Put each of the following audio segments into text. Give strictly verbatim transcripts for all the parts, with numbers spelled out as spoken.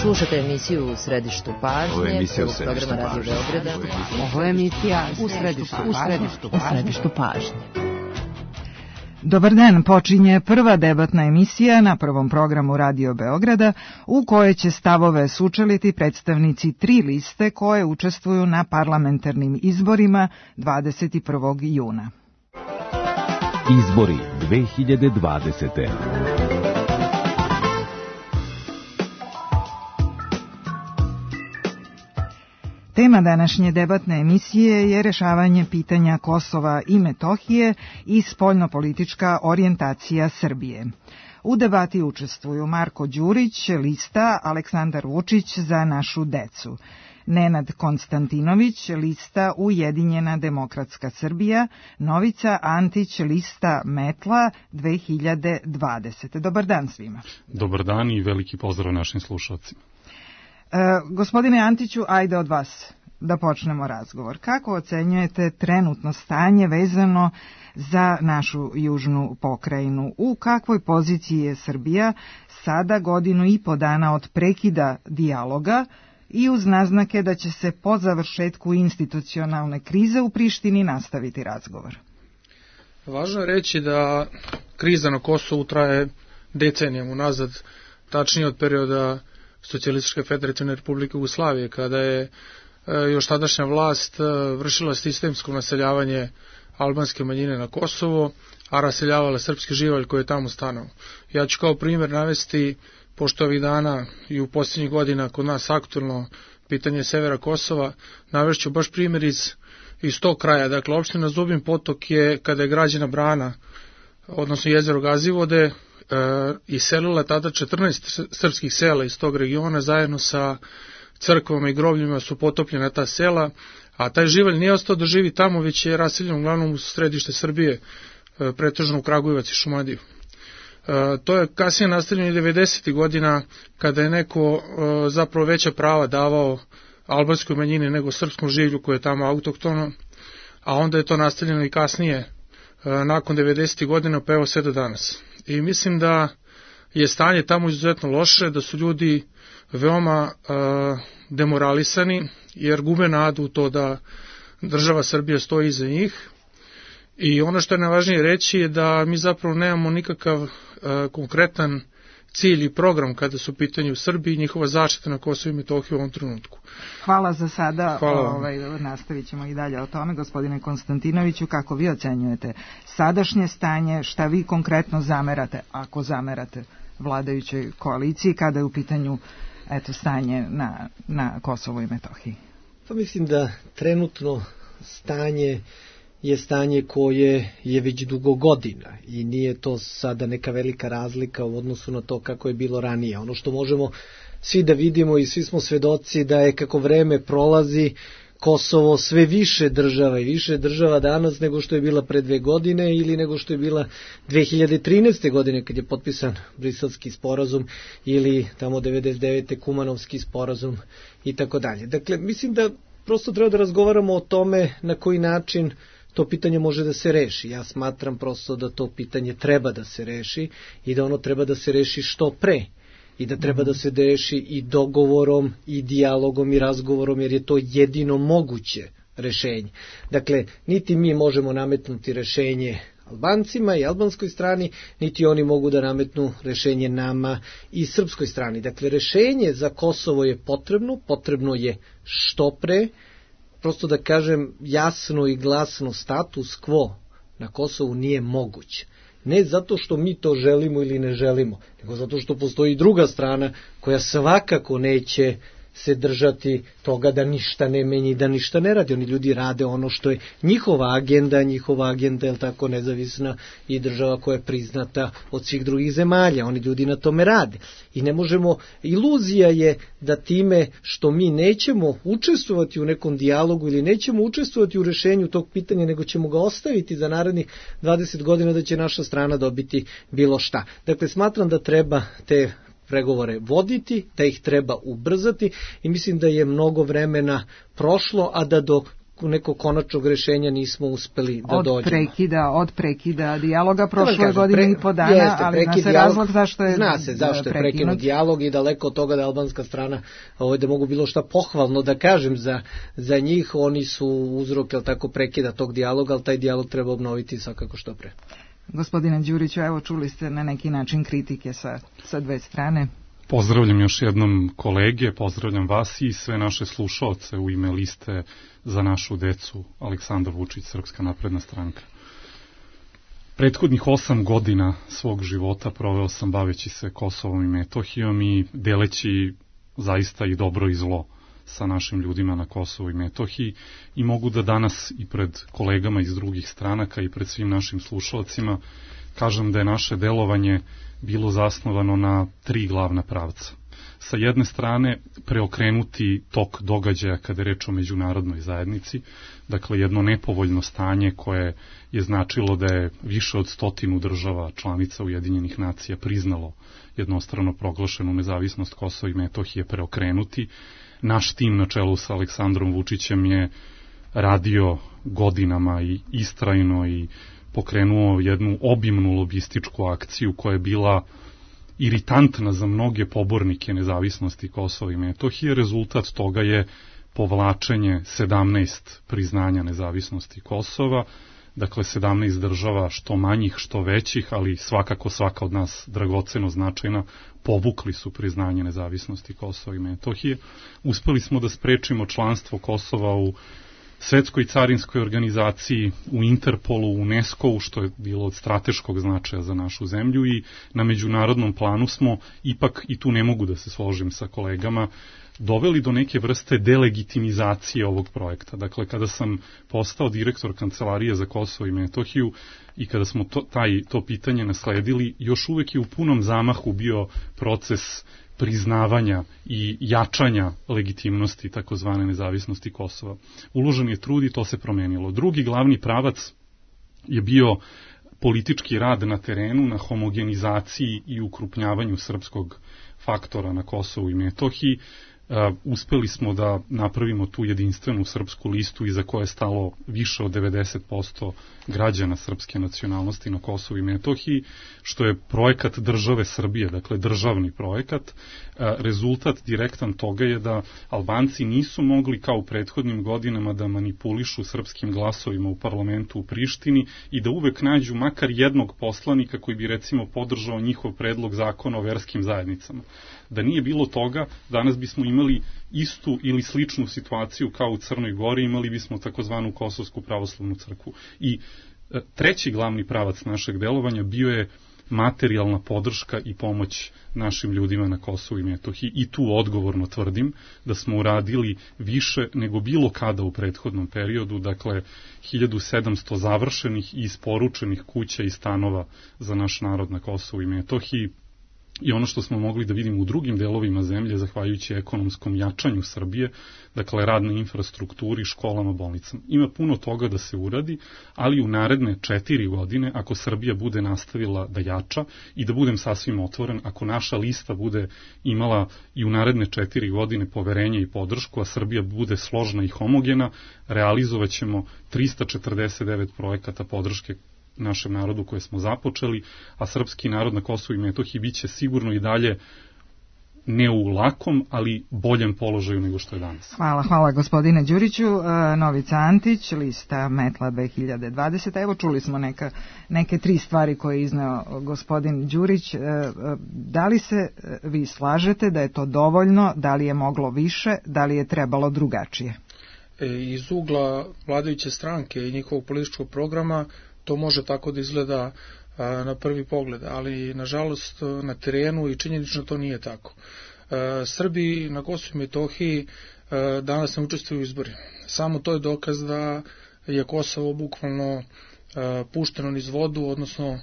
Slušate emisiju U središtu pažnje. Ovo je emisija U središtu pažnje. Ovo je emisija U središtu pažnje. U središtu pažnje. Dobar dan, počinje prva debatna emisija na prvom programu Radio Beograda u kojoj će stavove sučeliti predstavnici tri liste koje učestvuju na parlamentarnim izborima dvadeset prvog juna. Izbori dve hiljade dvadesete. Tema današnje debatne emisije je rešavanje pitanja Kosova i Metohije i spoljnopolitička orijentacija Srbije. U debati učestvuju Marko Đurić, lista Aleksandar Vučić za našu decu, Nenad Konstantinović, lista Ujedinjena demokratska Srbija, Novica Antić, lista Metla dve hiljade dvadesete. Dobar dan svima. Dobar dan i veliki pozdrav našim slušalcima. E, gospodine Antiću, ajde od vas da počnemo razgovor. Kako ocenjujete trenutno stanje vezano za našu južnu pokrajinu? U kakvoj poziciji je Srbija sada godinu i po dana od prekida dijaloga i uz naznake da će se po završetku institucionalne krize u Prištini nastaviti razgovor? Važno je reći da kriza na Kosovu traje decenijama unazad, tačnije od perioda Socijalističke federativne republike Jugoslavije, kada je još tadašnja vlast vršila sistemsko naseljavanje albanske manjine na Kosovo, a raseljavala srpski živalj koji je tamo stanao. Ja ću kao primjer navesti, pošto ovih dana i u posljednjih godina kod nas aktualno pitanje severa Kosova, navešću baš primjer iz, iz tog kraja. Dakle, opština Zubin Potok je, kada je građena brana, odnosno jezero Gazivode, Uh, iselila tada četrnaest srpskih sela iz tog regiona, zajedno sa crkvama i grobljima su potopljena ta sela, a taj živalj nije ostao da živi tamo, već je raseljen uglavnom u središte Srbije, uh, pretežno u Kragujevac i Šumadiju. Uh, to je kasnije nastavljeno i devedesetih godina, kada je neko uh, zapravo veća prava davao albanskoj manjini nego srpskom življu koje je tamo autoktono, a onda je to nastavljeno i kasnije, uh, nakon devedesetih godina, pa evo sve do danas. I mislim da je stanje tamo izuzetno loše, da su ljudi veoma uh, demoralisani, jer gube nadu u to da država Srbija stoji iza njih. I ono što je najvažnije reći je da mi zapravo nemamo nikakav uh, konkretan cilj i program kada su u pitanju u Srbiji i njihova zaštita na Kosovu i Metohiji u ovom trenutku. Hvala za sada. Hvala. Ovaj, nastavit ćemo i dalje o tome. Gospodine Konstantinoviću, kako vi ocenjujete sadašnje stanje, šta vi konkretno zamerate, ako zamerate vladajućoj koaliciji, kada je u pitanju eto, stanje na, na Kosovu i Metohiji? Pa mislim da trenutno stanje je stanje koje je već dugo godina i nije to sada neka velika razlika u odnosu na to kako je bilo ranije. Ono što možemo svi da vidimo i svi smo svedoci da je kako vreme prolazi Kosovo sve više država i više država danas nego što je bila pre dve godine ili nego što je bila dve hiljade trinaeste. godine kad je potpisan Briselski sporazum ili tamo devedeset devete. Kumanovski sporazum i tako dalje. Dakle, mislim da prosto treba da razgovaramo o tome na koji način to pitanje može da se reši. Ja smatram prosto da to pitanje treba da se reši i da ono treba da se reši što pre. I da treba da se reši i dogovorom, i dijalogom, i razgovorom, jer je to jedino moguće rešenje. Dakle, niti mi možemo nametnuti rešenje Albancima i albanskoj strani, niti oni mogu da nametnu rešenje nama i srpskoj strani. Dakle, rešenje za Kosovo je potrebno, potrebno je što pre, prosto da kažem jasno i glasno, status quo na Kosovu nije moguć. Ne zato što mi to želimo ili ne želimo, nego zato što postoji druga strana koja svakako neće se držati toga da ništa ne menja i da ništa ne radi. Oni ljudi rade ono što je njihova agenda, njihova agenda je tako nezavisna i država koja je priznata od svih drugih zemalja. Oni ljudi na tome rade. I ne možemo, iluzija je da time što mi nećemo učestvovati u nekom dijalogu ili nećemo učestvovati u rešenju tog pitanja, nego ćemo ga ostaviti za narednih dvadeset godina da će naša strana dobiti bilo šta. Dakle, smatram da treba te pregovore voditi, da ih treba ubrzati i mislim da je mnogo vremena prošlo, a da do neko konačnog rešenja nismo uspeli da od dođemo. Prekida, od prekida dijaloga prošle kažem, godine pre, i po dana, jeste, ali zna se dijalog, razlog zašto je zna se zašto je prekinut dijalog i daleko od toga da albanska strana ovaj, da mogu bilo šta pohvalno da kažem za, za njih, oni su uzrok jel tako prekida tog dijaloga, ali taj dijalog treba obnoviti svakako što pre. Gospodine Đuriću, evo čuli ste na neki način kritike sa, sa dve strane. Pozdravljam još jednom kolege, pozdravljam vas i sve naše slušaoce u ime liste Za našu decu, Aleksandar Vučić, Srpska napredna stranka. Prethodnih osam godina svog života proveo sam baveći se Kosovom i Metohijom i deleći zaista i dobro i zlo sa našim ljudima na Kosovu i Metohiji i mogu da danas i pred kolegama iz drugih stranaka i pred svim našim slušalcima kažem da je naše delovanje bilo zasnovano na tri glavna pravca. Sa jedne strane preokrenuti tok događaja kada je reč o međunarodnoj zajednici, dakle jedno nepovoljno stanje koje je značilo da je više od stotinu država članica Ujedinjenih nacija priznalo jednostrano proglašenu nezavisnost Kosova i Metohije preokrenuti. Naš tim na čelu sa Aleksandrom Vučićem je radio godinama i istrajno i pokrenuo jednu obimnu lobističku akciju koja je bila iritantna za mnoge pobornike nezavisnosti Kosova i Metohije. Rezultat toga je povlačenje sedamnaest priznanja nezavisnosti Kosova, dakle sedamnaest država, što manjih, što većih, ali svakako svaka od nas dragoceno značajna, povukli su priznanje nezavisnosti Kosova i Metohije. Uspeli smo da sprečimo članstvo Kosova u Svetskoj carinskoj organizaciji, u Interpolu, u UNESCO-u, što je bilo od strateškog značaja za našu zemlju i na međunarodnom planu smo, ipak i tu ne mogu da se složim sa kolegama, doveli do neke vrste delegitimizacije ovog projekta. Dakle, kada sam postao direktor Kancelarije za Kosovo i Metohiju i kada smo to, taj, to pitanje nasledili, još uvek je u punom zamahu bio proces priznavanja i jačanja legitimnosti takozvane nezavisnosti Kosova. Uložen je trud i to se promenilo. Drugi glavni pravac je bio politički rad na terenu, na homogenizaciji i ukrupnjavanju srpskog faktora na Kosovu i Metohiji. Uh, uspeli smo da napravimo tu jedinstvenu srpsku listu iza koje je stalo više od devedeset posto građana srpske nacionalnosti na Kosovu i Metohiji, što je projekat države Srbije, dakle državni projekat. Uh, rezultat direktan toga je da Albanci nisu mogli kao u prethodnim godinama da manipulišu srpskim glasovima u parlamentu u Prištini i da uvek nađu makar jednog poslanika koji bi recimo podržao njihov predlog zakona o verskim zajednicama. Da nije bilo toga, danas bismo imali istu ili sličnu situaciju kao u Crnoj Gori, imali bismo takozvanu Kosovsku pravoslavnu crkvu. I e, treći glavni pravac našeg delovanja bio je materijalna podrška i pomoć našim ljudima na Kosovu i Metohiji. I tu odgovorno tvrdim da smo uradili više nego bilo kada u prethodnom periodu, dakle hiljadu sedamsto završenih i isporučenih kuća i stanova za naš narod na Kosovu i Metohiji. I ono što smo mogli da vidimo u drugim delovima zemlje, zahvaljujući ekonomskom jačanju Srbije, dakle rad na infrastrukturi, školama, bolnicama. Ima puno toga da se uradi, ali u naredne četiri godine, ako Srbija bude nastavila da jača i da budem sasvim otvoren, ako naša lista bude imala i u naredne četiri godine poverenje i podršku, a Srbija bude složna i homogena, realizovat ćemo trista četrdeset devet projekata podrške našem narodu koje smo započeli, a srpski narod na Kosovu i Metohiji biće sigurno i dalje ne u lakom, ali boljem položaju nego što je danas. Hvala, hvala gospodine Đuriću. Novica Antić, lista Metla dve hiljade dvadesete. Evo čuli smo neka, neke tri stvari koje je izneo gospodin Đurić. Da li se vi slažete da je to dovoljno, da li je moglo više, da li je trebalo drugačije? Iz ugla vladajuće stranke i njihovog političkog programa to može tako da izgleda a, na prvi pogled, ali nažalost na terenu i činjenično to nije tako. A, Srbi na Kosovu i Metohiji a, danas ne učestvuju u izborima. Samo to je dokaz da je Kosovo bukvalno a, pušteno niz vodu, odnosno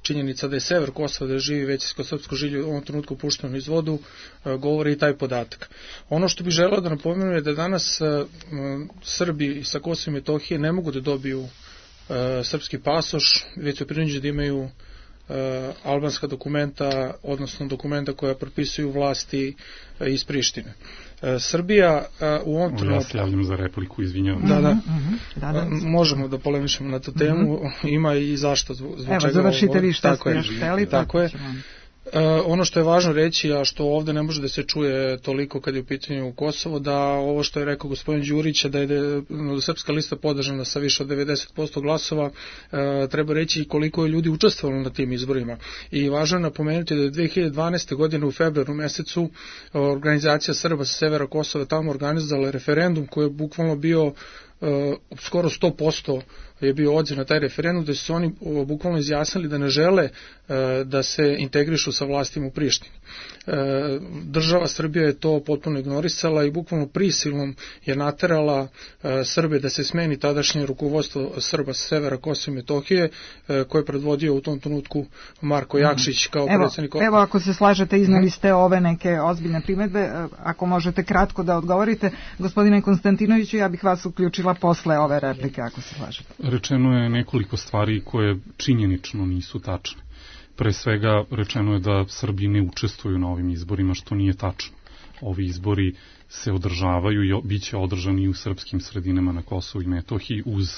činjenica da je sever Kosova, da živi većinsko srpsko žilje u ovom trenutku pušteno niz vodu, a, govori i taj podatak. Ono što bih želeo da napomenem je da danas a, Srbi sa Kosova i Metohije ne mogu da dobiju srpski pasoš, već su prinuđeni da imaju albanska dokumenta, odnosno dokumenta koja propisuju vlasti iz Prištine. Srbija u ovom trenutku... Ja se javljam za repliku, izvinjavam. Da, da. Mm-hmm. da, da. Možemo da polemišemo na tu temu, mm-hmm. Ima i zašto, zbog Evo, čega... Evo, završite vi šta ste još hteli. Tako je. Uh, ono što je važno reći, a što ovde ne može da se čuje toliko kad je u pitanju Kosovo, da ovo što je rekao gospodin Đurić, da je de, no, Srpska lista podržana sa više od devedeset posto glasova, uh, treba reći koliko je ljudi učestvovalo na tim izborima. I važno je napomenuti da je dve hiljade dvanaeste. godine u februaru mesecu organizacija Srba sa severa Kosova tamo organizovala referendum koji je bukvalno bio uh, skoro sto posto je bio odziv na taj referendum, da su oni bukvalno izjasnili da ne žele e, da se integrišu sa vlastima u Prištini. E, država Srbija je to potpuno ignorisala i bukvalno prisilom je naterala e, Srbe da se smeni tadašnje rukovodstvo Srba sa severa Kosova i Metohije, e, koje je predvodio u tom trenutku Marko Jakšić kao evo, predsjednik. Evo, ako se slažete, iznali ste ove neke ozbiljne primedbe, ako možete kratko da odgovorite, gospodine Konstantinoviću, ja bih vas uključila posle ove replike, ako se slažete. Rečeno je nekoliko stvari koje činjenično nisu tačne. Pre svega rečeno je da Srbi ne učestvuju na ovim izborima, što nije tačno. Ovi izbori se održavaju i bit će održani u srpskim sredinama na Kosovu i Metohiji uz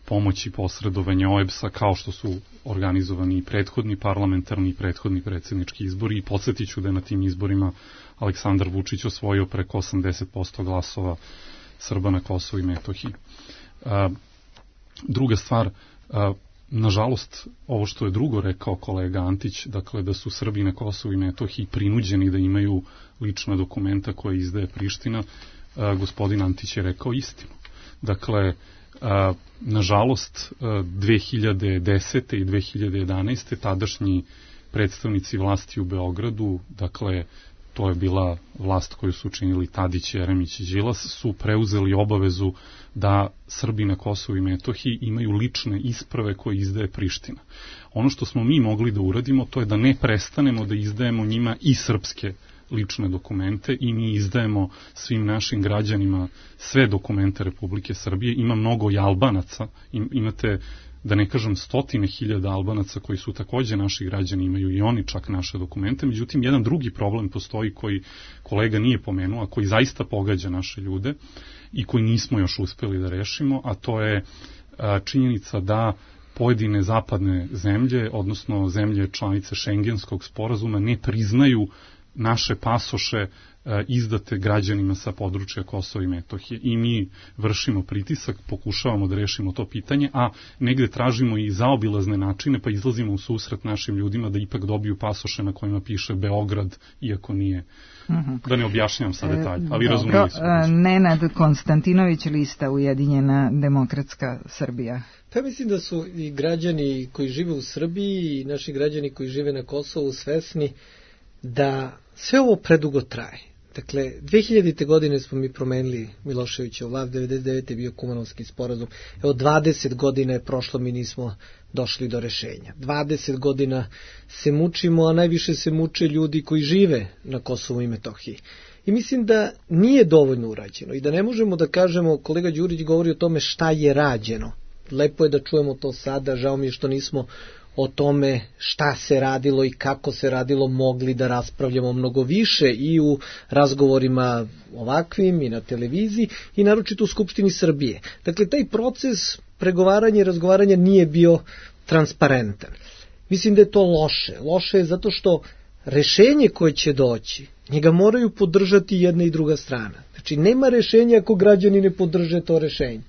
pomoć i posredovanje O E B S-a, kao što su organizovani i prethodni parlamentarni i prethodni predsjednički izbori. I podsjetit ću da je na tim izborima Aleksandar Vučić osvojio preko osamdeset posto glasova Srba na Kosovu i Metohiji. A, druga stvar, a, nažalost, ovo što je drugo rekao kolega Antić, dakle da su Srbi na Kosovu i Metohiji prinuđeni da imaju lična dokumenta koje izdaje Priština, a, gospodin Antić je rekao istinu. Dakle, a, nažalost, a, dve hiljade desete. i dve hiljade jedanaeste. tadašnji predstavnici vlasti u Beogradu, dakle, to je bila vlast koju su učinili Tadić, Jeremić i Đilas, su preuzeli obavezu da Srbi na Kosovu i Metohiji imaju lične isprave koje izdaje Priština. Ono što smo mi mogli da uradimo, to je da ne prestanemo da izdajemo njima i srpske lične dokumente i mi izdajemo svim našim građanima sve dokumente Republike Srbije. Ima mnogo i Albanaca, imate, da ne kažem, stotine hiljada Albanaca koji su takođe naši građani, imaju i oni čak naše dokumente. Međutim, jedan drugi problem postoji koji kolega nije pomenuo, a koji zaista pogađa naše ljude i koji nismo još uspeli da rešimo, a to je a, činjenica da pojedine zapadne zemlje, odnosno zemlje članice Šengenskog sporazuma, ne priznaju naše pasoše izdate građanima sa područja Kosova i Metohije. I mi vršimo pritisak, pokušavamo da rešimo to pitanje, a negde tražimo i zaobilazne načine, pa izlazimo u susret našim ljudima da ipak dobiju pasoše na kojima piše Beograd, iako nije. Uh-huh. Da ne objašnjam sa detalje, ali razumeli smo. Nenad Konstantinović, lista Ujedinjena demokratska Srbija. Pa mislim da su i građani koji žive u Srbiji i naši građani koji žive na Kosovu svesni da sve ovo predugo traje. Dakle, dve hiljadite. godine smo mi promenili Miloševićevu vlast, devedeset devete. je bio Kumanovski sporazum. Evo, dvadeset godina je prošlo, mi nismo došli do rešenja. dvadeset godina se mučimo, a najviše se muče ljudi koji žive na Kosovu i Metohiji. I mislim da nije dovoljno urađeno i da ne možemo da kažemo, kolega Đurić govori o tome šta je rađeno. Lepo je da čujemo to sada, žao mi je što nismo o tome šta se radilo i kako se radilo mogli da raspravljamo mnogo više i u razgovorima ovakvim i na televiziji i naročito u Skupštini Srbije. Dakle, taj proces pregovaranja i razgovaranja nije bio transparentan. Mislim da je to loše. Loše je zato što rešenje koje će doći, njega moraju podržati jedna i druga strana. Znači, nema rešenja ako građani ne podrže to rešenje.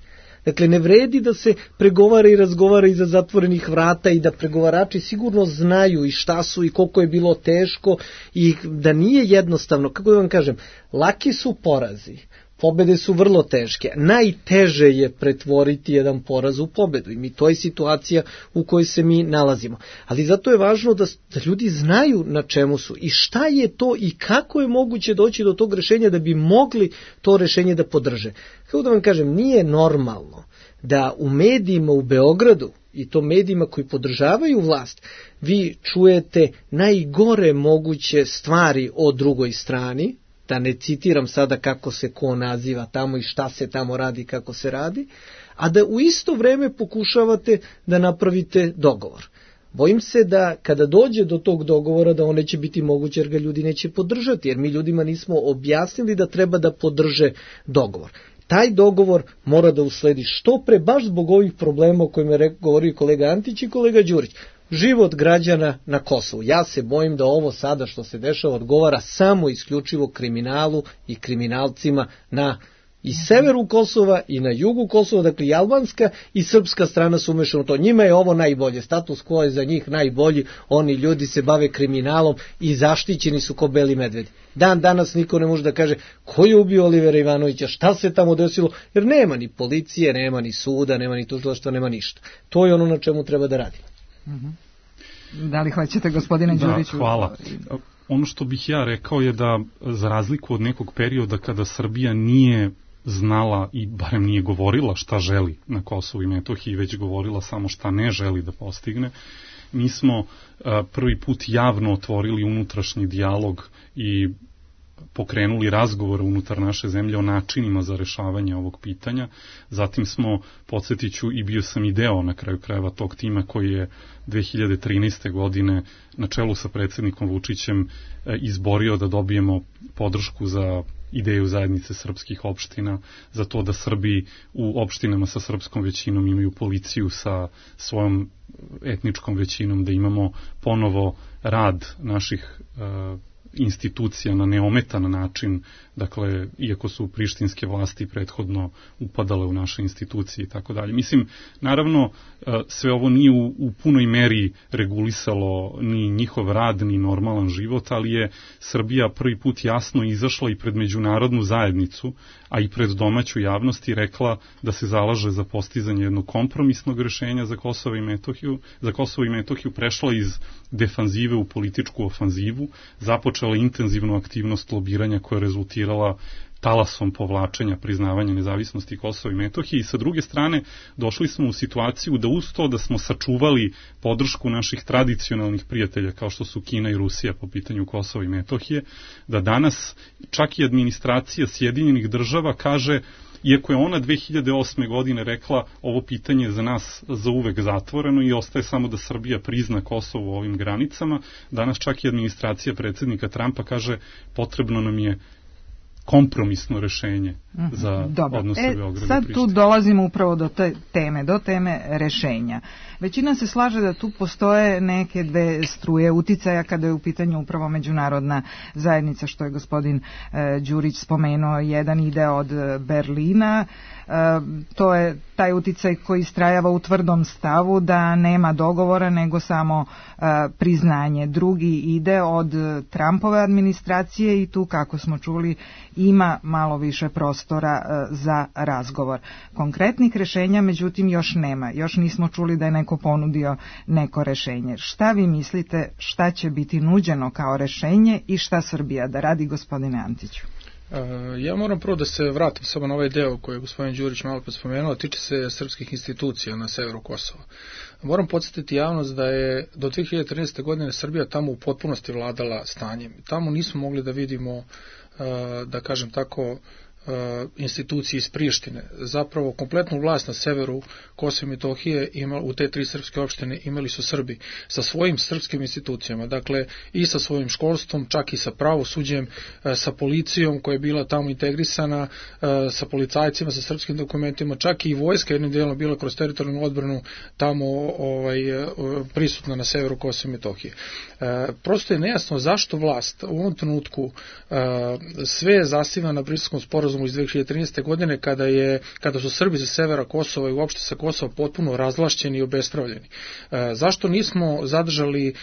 Dakle, ne vredi da se pregovara i razgovara iza zatvorenih vrata i da pregovarači sigurno znaju i šta su i koliko je bilo teško i da nije jednostavno, kako da vam kažem, laki su porazi, pobede su vrlo teške. Najteže je pretvoriti jedan poraz u pobedu i mi to je situacija u kojoj se mi nalazimo. Ali zato je važno da, da ljudi znaju na čemu su i šta je to i kako je moguće doći do tog rešenja da bi mogli to rešenje da podrže. Kako da vam kažem, nije normalno da u medijima u Beogradu i to medijima koji podržavaju vlast, vi čujete najgore moguće stvari o drugoj strani, da ne citiram sada kako se ko naziva tamo i šta se tamo radi, kako se radi, a da u isto vreme pokušavate da napravite dogovor. Bojim se da kada dođe do tog dogovora da on neće biti moguće jer ga ljudi neće podržati, jer mi ljudima nismo objasnili da treba da podrže dogovor. Taj dogovor mora da usledi što pre, baš zbog ovih problema o kojima je govorio kolega Antić i kolega Đurić. Život građana na Kosovu. Ja se bojim da ovo sada što se dešava odgovara samo isključivo kriminalu i kriminalcima na i severu Kosova i na jugu Kosova, dakle i albanska i srpska strana su umešana u to. Njima je ovo najbolje, status quo je za njih najbolji, oni ljudi se bave kriminalom i zaštićeni su ko beli medvedi. Dan danas niko ne može da kaže ko je ubio Olivera Ivanovića, šta se tamo desilo, jer nema ni policije, nema ni suda, nema ni tužilaštva, nema ništa. To je ono na čemu treba da radimo. Mm-hmm. Da li hoćete, gospodine Đuriću? Da, hvala. Ono što bih ja rekao je da za razliku od nekog perioda kada Srbija nije znala i barem nije govorila šta želi na Kosovu i Metohiji, već govorila samo šta ne želi da postigne, mi smo uh, prvi put javno otvorili unutrašnji dijalog i pokrenuli razgovore unutar naše zemlje o načinima za rešavanje ovog pitanja. Zatim smo, podsjetiću, i bio sam i deo na kraju krajeva tog tima koji je dve hiljade trinaeste. godine na čelu sa predsjednikom Vučićem izborio da dobijemo podršku za ideju zajednice srpskih opština, za to da Srbi u opštinama sa srpskom većinom imaju policiju sa svojom etničkom većinom, da imamo ponovo rad naših uh, institucija na neometan način, dakle, iako su prištinske vlasti prethodno upadale u naše institucije i tako dalje. Mislim, naravno, sve ovo nije u, u punoj meri regulisalo ni njihov rad, ni normalan život, ali je Srbija prvi put jasno izašla i pred međunarodnu zajednicu, a i pred domaću javnost i rekla da se zalaže za postizanje jednog kompromisnog rešenja za Kosovo i Metohiju, za Kosovo i Metohiju prešla iz defanzive u političku ofanzivu, započela intenzivnu aktivnost lobiranja koja je rezultirala talasom povlačenja priznavanja nezavisnosti Kosova i Metohije i sa druge strane došli smo u situaciju da uz to da smo sačuvali podršku naših tradicionalnih prijatelja kao što su Kina i Rusija po pitanju Kosova i Metohije, da danas čak i administracija Sjedinjenih država kaže, iako je ona dve hiljade osme. godine rekla ovo pitanje je za nas za uvek zatvoreno i ostaje samo da Srbija prizna Kosovo u ovim granicama, danas čak i administracija predsjednika Trumpa kaže potrebno nam je kompromisno rešenje za Dobro. odnose e, Beograda i sad Prištine. tu dolazimo upravo do te teme, do teme rešenja. Većina se slaže da tu postoje neke dve struje uticaja kada je u pitanju upravo međunarodna zajednica, što je gospodin e, Đurić spomenuo. Jedan ide od Berlina, e, to je taj uticaj koji istrajava u tvrdom stavu da nema dogovora nego samo e, priznanje. Drugi ide od Trumpove administracije i tu, kako smo čuli, ima malo više prostora e, za razgovor. Konkretnih rešenja, međutim, još nema. Još nismo čuli da je neko ponudio neko rešenje. Šta vi mislite, šta će biti nuđeno kao rešenje i šta Srbija da radi, gospodine Antiću? Ja moram prvo da se vratim samo na ovaj deo koji je gospodin Đurić malo pa spomenuo, tiče se srpskih institucija na severu Kosova. Moram podsjetiti javnost da je do dve hiljade trinaeste. godine Srbija tamo u potpunosti vladala stanjem. Tamo nismo mogli da vidimo, da kažem tako, institucije iz Prištine. Zapravo kompletnu vlast na severu Kosova i Metohije ima, u te tri srpske opštine imali su Srbi sa svojim srpskim institucijama, dakle i sa svojim školstvom, čak i sa pravosuđem, sa policijom koja je bila tamo integrisana, sa policajcima, sa srpskim dokumentima, čak i vojska jednim dijelom bila kroz teritorijalnu odbranu tamo ovaj, prisutna na severu Kosova i Metohije. Prosto je nejasno zašto vlast u ovom trenutku sve zasiva na Briselskom sporazumu iz dve hiljade trinaeste. godine kada je kada su Srbi sa severa Kosova i uopšte sa Kosova potpuno razvlašćeni i obespravljeni. E, zašto nismo zadržali e,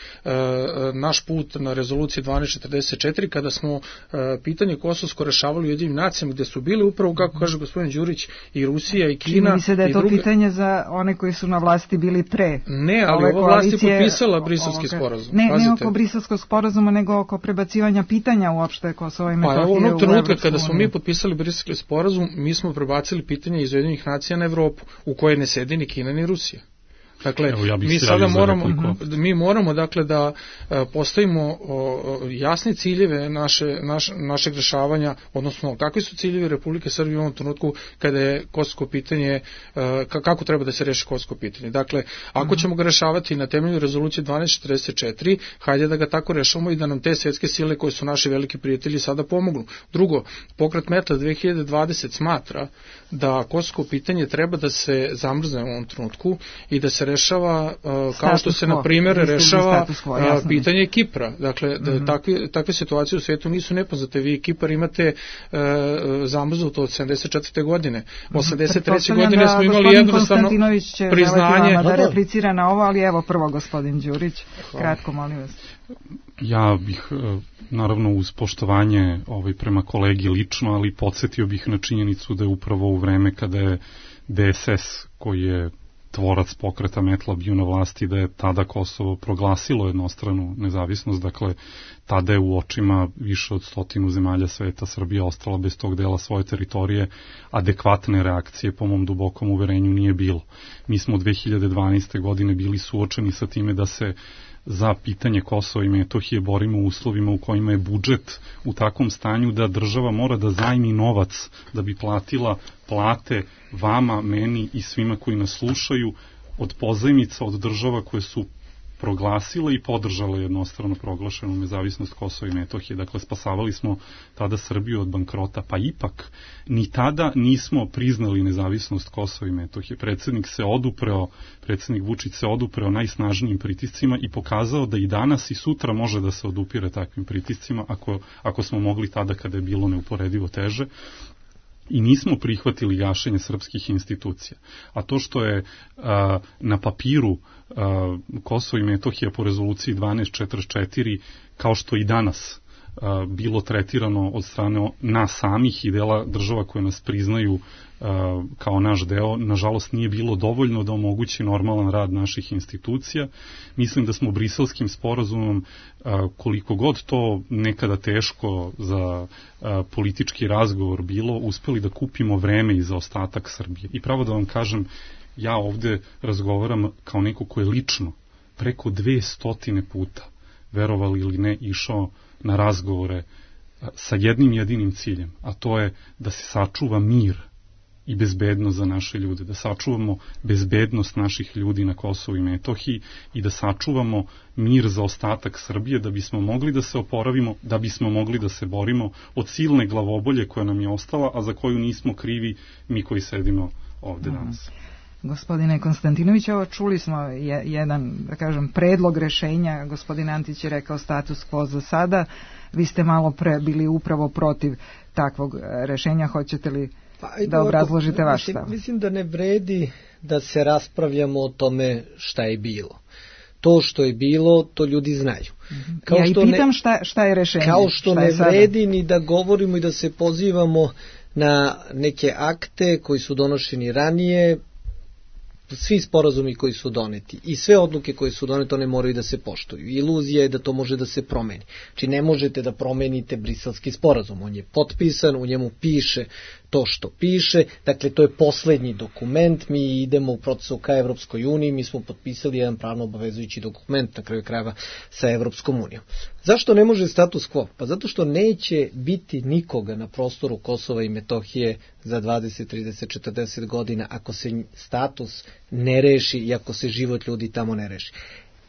naš put na rezoluciji dvanaest četrdeset četiri kada smo e, pitanje kosovsko rešavali u Ujedinjenim nacijama, gde su bili upravo, kako kaže gospodin Đurić, i Rusija i Kina. Čini mi se da je to druga... pitanje za one koji su na vlasti bili pre. Ne, ali ova vlast je potpisala Briselski sporazum. Ne, ne oko Briselskog sporazuma, nego oko prebacivanja pitanja uopšte Kosova i Metohije. Pa onog trenutka kada smo mi potpisali Briselski sporazum, mi smo prebacili pitanje iz Ujedinjenih nacija na Evropu, u kojoj ne sedi ni Kina ni Rusija. Dakle, Evo, ja mi sada moramo, mi moramo dakle da postavimo jasne ciljeve naše, naš, našeg rešavanja, odnosno kakvi su ciljevi Republike Srbije u ovom trenutku kada je kosovsko pitanje, kako treba da se reši kosovsko pitanje. Dakle, ako ćemo ga rešavati na temelju rezolucije dvanaest četrdeset četiri, hajde da ga tako rešavamo i da nam te svetske sile koje su naši veliki prijatelji sada pomognu. Drugo, Pokret Metla dve hiljade dvadeset smatra da kosovsko pitanje treba da se zamrzne u ovom trenutku i da se rešava uh, kao što se na primjer rešava uh, pitanje Kipra. Dakle, mm-hmm. da, takve, takve situacije u svijetu nisu nepoznate. Vi Kipar imate uh, zamrznuto od sedamdeset četvrte godine. osamdeset treće godine smo imali jednostavno priznanje. Da replicira na ovo, ali evo prvo gospodin Đurić. Kratko, molim vas. Ja bih, naravno, uz poštovanje ovaj, prema kolegi lično, ali podsjetio bih na činjenicu da je upravo u vreme kada je D S S, koji je tvorac Pokreta Metla, bio na vlasti, da je tada Kosovo proglasilo jednostranu nezavisnost. Dakle, tada je u očima više od stotinu zemalja sveta Srbija ostala bez tog dela svoje teritorije. Adekvatne reakcije, po mom dubokom uverenju, nije bilo. Mi smo od dve hiljade dvanaeste. godine bili suočeni sa time da se za pitanje Kosova i Metohije borimo u uslovima u kojima je budžet u takvom stanju da država mora da zajmi novac da bi platila plate vama, meni i svima koji nas slušaju od pozajmica od država koje su proglasile i podržale jednostrano proglašenu nezavisnost Kosova i Metohije. Dakle, spasavali smo tada Srbiju od bankrota, pa ipak ni tada nismo priznali nezavisnost Kosova i Metohije. Predsednik se odupreo, predsednik Vučić se odupreo najsnažnijim pritiscima i pokazao da i danas i sutra može da se odupire takvim pritiscima ako, ako smo mogli tada kada je bilo neuporedivo teže. I nismo prihvatili gašenje srpskih institucija. A to što je a, na papiru a, Kosovo i Metohija po rezoluciji dvanaest četrdeset četiri, kao što i danas a, bilo tretirano od strane nas samih i dela država koje nas priznaju a, kao naš deo, nažalost nije bilo dovoljno da omogući normalan rad naših institucija. Mislim da smo briselskim sporazumom, a, koliko god to nekada teško za a, politički razgovor bilo, uspeli da kupimo vreme i za ostatak Srbije. I pravo da vam kažem, ja ovde razgovaram kao neko ko je lično preko dve stotine puta, verovali ili ne, išao na razgovore sa jednim jedinim ciljem, a to je da se sačuva mir i bezbednost za naše ljude, da sačuvamo bezbednost naših ljudi na Kosovu i Metohiji i da sačuvamo mir za ostatak Srbije, da bismo mogli da se oporavimo, da bismo mogli da se borimo od silne glavobolje koja nam je ostala, a za koju nismo krivi mi koji sedimo ovde danas. Gospodine Konstantinović, ovo čuli smo je, jedan, da kažem, predlog rešenja. Gospodin Antić je rekao status quo za sada. Vi ste malo pre bili upravo protiv takvog rešenja. Hoćete li pa, da obrazložite vaš stav? Mislim da ne vredi da se raspravljamo o tome šta je bilo. To što je bilo, to ljudi znaju. Kao ja što i pitam ne, šta, šta je rešenje. Kao što ne vredi ni da govorimo i da se pozivamo na neke akte koji su donošeni ranije, svi sporazumi koji su doneti i sve odluke koje su donete, one moraju da se poštuju. Iluzija je da to može da se promeni. Znači ne možete da promenite briselski sporazum. On je potpisan, u njemu piše to što piše, dakle to je poslednji dokument, mi idemo u procesu ka Evropskoj uniji, mi smo potpisali jedan pravno obavezujući dokument na kraju krajeva sa Evropskom unijom. Zašto ne može status quo? Pa zato što neće biti nikoga na prostoru Kosova i Metohije za dvadeset, trideset, četrdeset godina ako se status ne reši i ako se život ljudi tamo ne reši.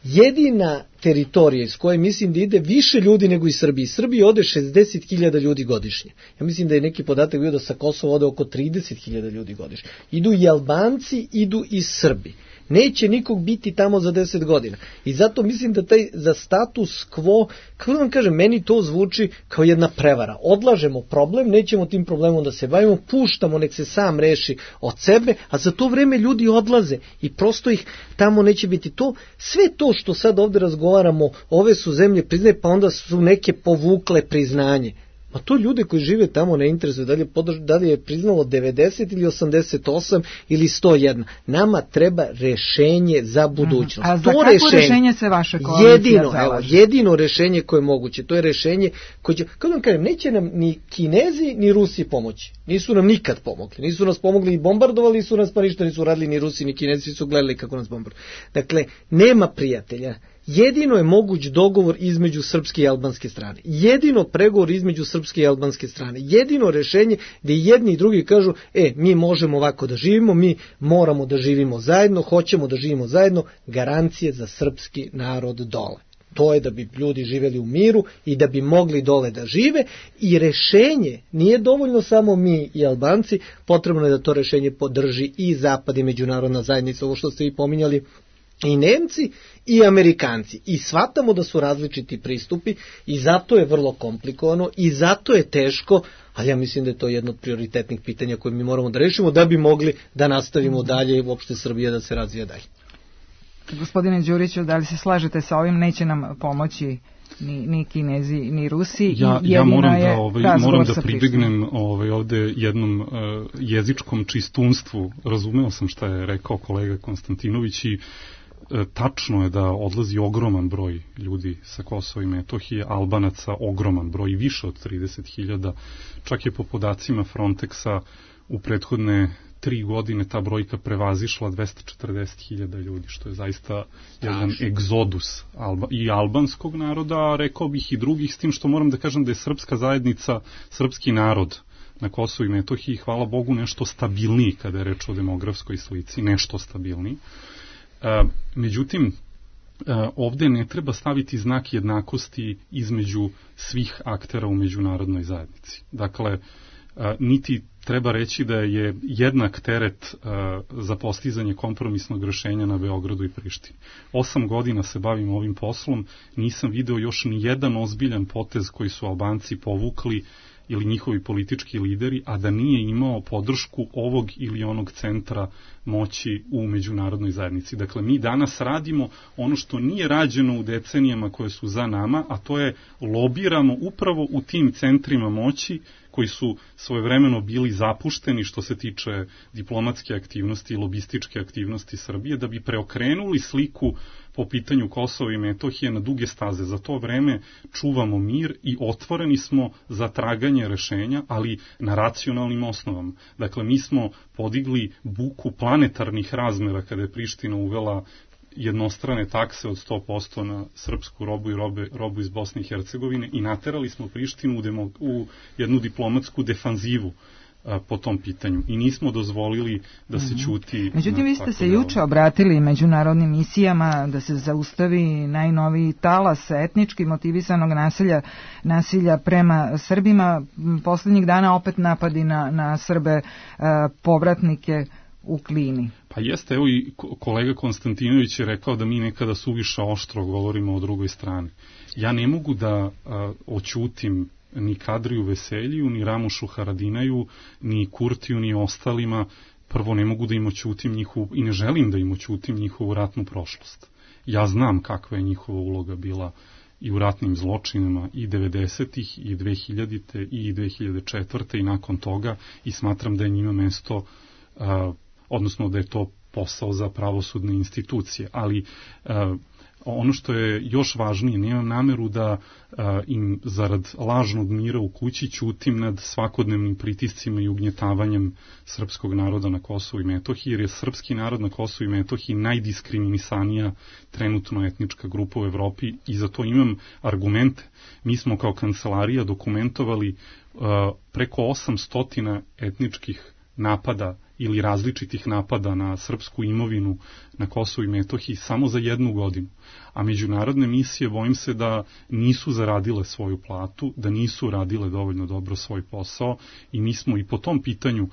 Jedina teritorija iz koje mislim da ide više ljudi nego iz Srbije. Iz Srbije ode šezdeset hiljada ljudi godišnje. Ja mislim da je neki podatak bio da sa Kosova ode oko trideset hiljada ljudi godišnje. Idu i Albanci, idu i Srbi. Neće nikog biti tamo za deset godina. I zato mislim da taj za status quo, kako da vam kažem, meni to zvuči kao jedna prevara. Odlažemo problem, nećemo tim problemom da se bavimo, puštamo, nek se sam reši od sebe, a za to vreme ljudi odlaze i prosto ih tamo neće biti. To, sve to što sad ovde razgovaramo, ove su zemlje priznaje, pa onda su neke povukle priznanje. Pa to ljude koji žive tamo ne interesuje, da li je, podrž, da li je priznalo devedeset ili osamdeset osam ili sto jedan. Nama treba rešenje za budućnost. A za to kako rešenje, rešenje se vaše koalicija jedino, zalaže? Evo, jedino rešenje koje je moguće, to je rešenje koje će, kako da vam kažem, neće nam ni Kinezi ni Rusi pomoći. Nisu nam nikad pomogli. Nisu nas pomogli i bombardovali su nas, pa ništa nisu radili ni Rusi ni Kinezi, su gledali kako nas bombarduju. Dakle, nema prijatelja. Jedino je moguć dogovor između srpske i albanske strane. Jedino pregovor između srpske i albanske strane. Jedino rešenje gde jedni i drugi kažu, e, mi možemo ovako da živimo, mi moramo da živimo zajedno, hoćemo da živimo zajedno, garancije za srpski narod dole. To je da bi ljudi živeli u miru i da bi mogli dole da žive i rešenje, nije dovoljno samo mi i Albanci, potrebno je da to rešenje podrži i Zapad i međunarodna zajednica, ovo što ste i pominjali, i Nemci i Amerikanci. I shvatamo da su različiti pristupi i zato je vrlo komplikovano i zato je teško, ali ja mislim da je to jedno od prioritetnih pitanja koje mi moramo da rešimo da bi mogli da nastavimo dalje i uopšte Srbija da se razvija dalje. Gospodine Đuriću, da li se slažete sa ovim? Neće nam pomoći ni, ni Kinezi, ni Rusi. Ja, ja moram da, ovaj, moram da pribegnem ovaj, ovde jednom uh, jezičkom čistunstvu. Razumeo sam šta je rekao kolega Konstantinović i uh, tačno je da odlazi ogroman broj ljudi sa Kosova i Metohije, Albanaca ogroman broj, više od trideset hiljada. Čak je po podacima Frontexa u prethodne tri godine ta brojka prevazišla dvesta četrdeset hiljada ljudi, što je zaista jedan egzodus alba, i albanskog naroda, a rekao bih i drugih, s tim što moram da kažem da je srpska zajednica, srpski narod na Kosovu i Metohiji, hvala Bogu, nešto stabilniji kada je reč o demografskoj slici, nešto stabilniji. E, međutim, e, ovde ne treba staviti znak jednakosti između svih aktera u međunarodnoj zajednici. Dakle, e, niti treba reći da je jednak teret uh, za postizanje kompromisnog rešenja na Beogradu i Prištini. Osam godina se bavim ovim poslom, nisam video još ni jedan ozbiljan potez koji su Albanci povukli ili njihovi politički lideri, a da nije imao podršku ovog ili onog centra moći u međunarodnoj zajednici. Dakle, mi danas radimo ono što nije rađeno u decenijama koje su za nama, a to je lobiramo upravo u tim centrima moći koji su svojevremeno bili zapušteni što se tiče diplomatske aktivnosti i lobističke aktivnosti Srbije, da bi preokrenuli sliku po pitanju Kosova i Metohije na duge staze. Za to vreme čuvamo mir i otvoreni smo za traganje rešenja, ali na racionalnim osnovama. Dakle, mi smo podigli buku planetarnih razmera kada je Priština uvela jednostrane takse od sto posto na srpsku robu i robe, robu iz Bosne i Hercegovine i naterali smo Prištinu u, demo, u jednu diplomatsku defanzivu a, po tom pitanju i nismo dozvolili da se ćuti. Međutim, vi ste se juče obratili međunarodnim misijama da se zaustavi najnoviji talas etnički motivisanog nasilja, nasilja prema Srbima. Poslednjih dana opet napadi na, na Srbe a, povratnike u Klini. Pa jeste, evo i kolega Konstantinović je rekao da mi nekada suviše oštro govorimo o drugoj strani. Ja ne mogu da a, oćutim ni Kadriju Veseliju, ni Ramušu Haradinaju, ni Kurtiju, ni ostalima. Prvo, ne mogu da im oćutim njihovu, i ne želim da im oćutim njihovu ratnu prošlost. Ja znam kakva je njihova uloga bila i u ratnim zločinama i devedesetih i dve hiljadite i dve hiljade četvrte i nakon toga i smatram da je njima mesto a, odnosno da je to posao za pravosudne institucije, ali uh, ono što je još važnije, nemam nameru da uh, im zarad lažnog mira u kući ćutim nad svakodnevnim pritiscima i ugnjetavanjem srpskog naroda na Kosovu i Metohiji, jer je srpski narod na Kosovu i Metohiji najdiskriminisanija trenutno etnička grupa u Evropi i za to imam argumente. Mi smo kao kancelarija dokumentovali uh, preko osamsto etničkih napada ili različitih napada na srpsku imovinu na Kosovu i Metohiji samo za jednu godinu. A međunarodne misije, bojim se da nisu zaradile svoju platu, da nisu radile dovoljno dobro svoj posao i mi smo i po tom pitanju uh,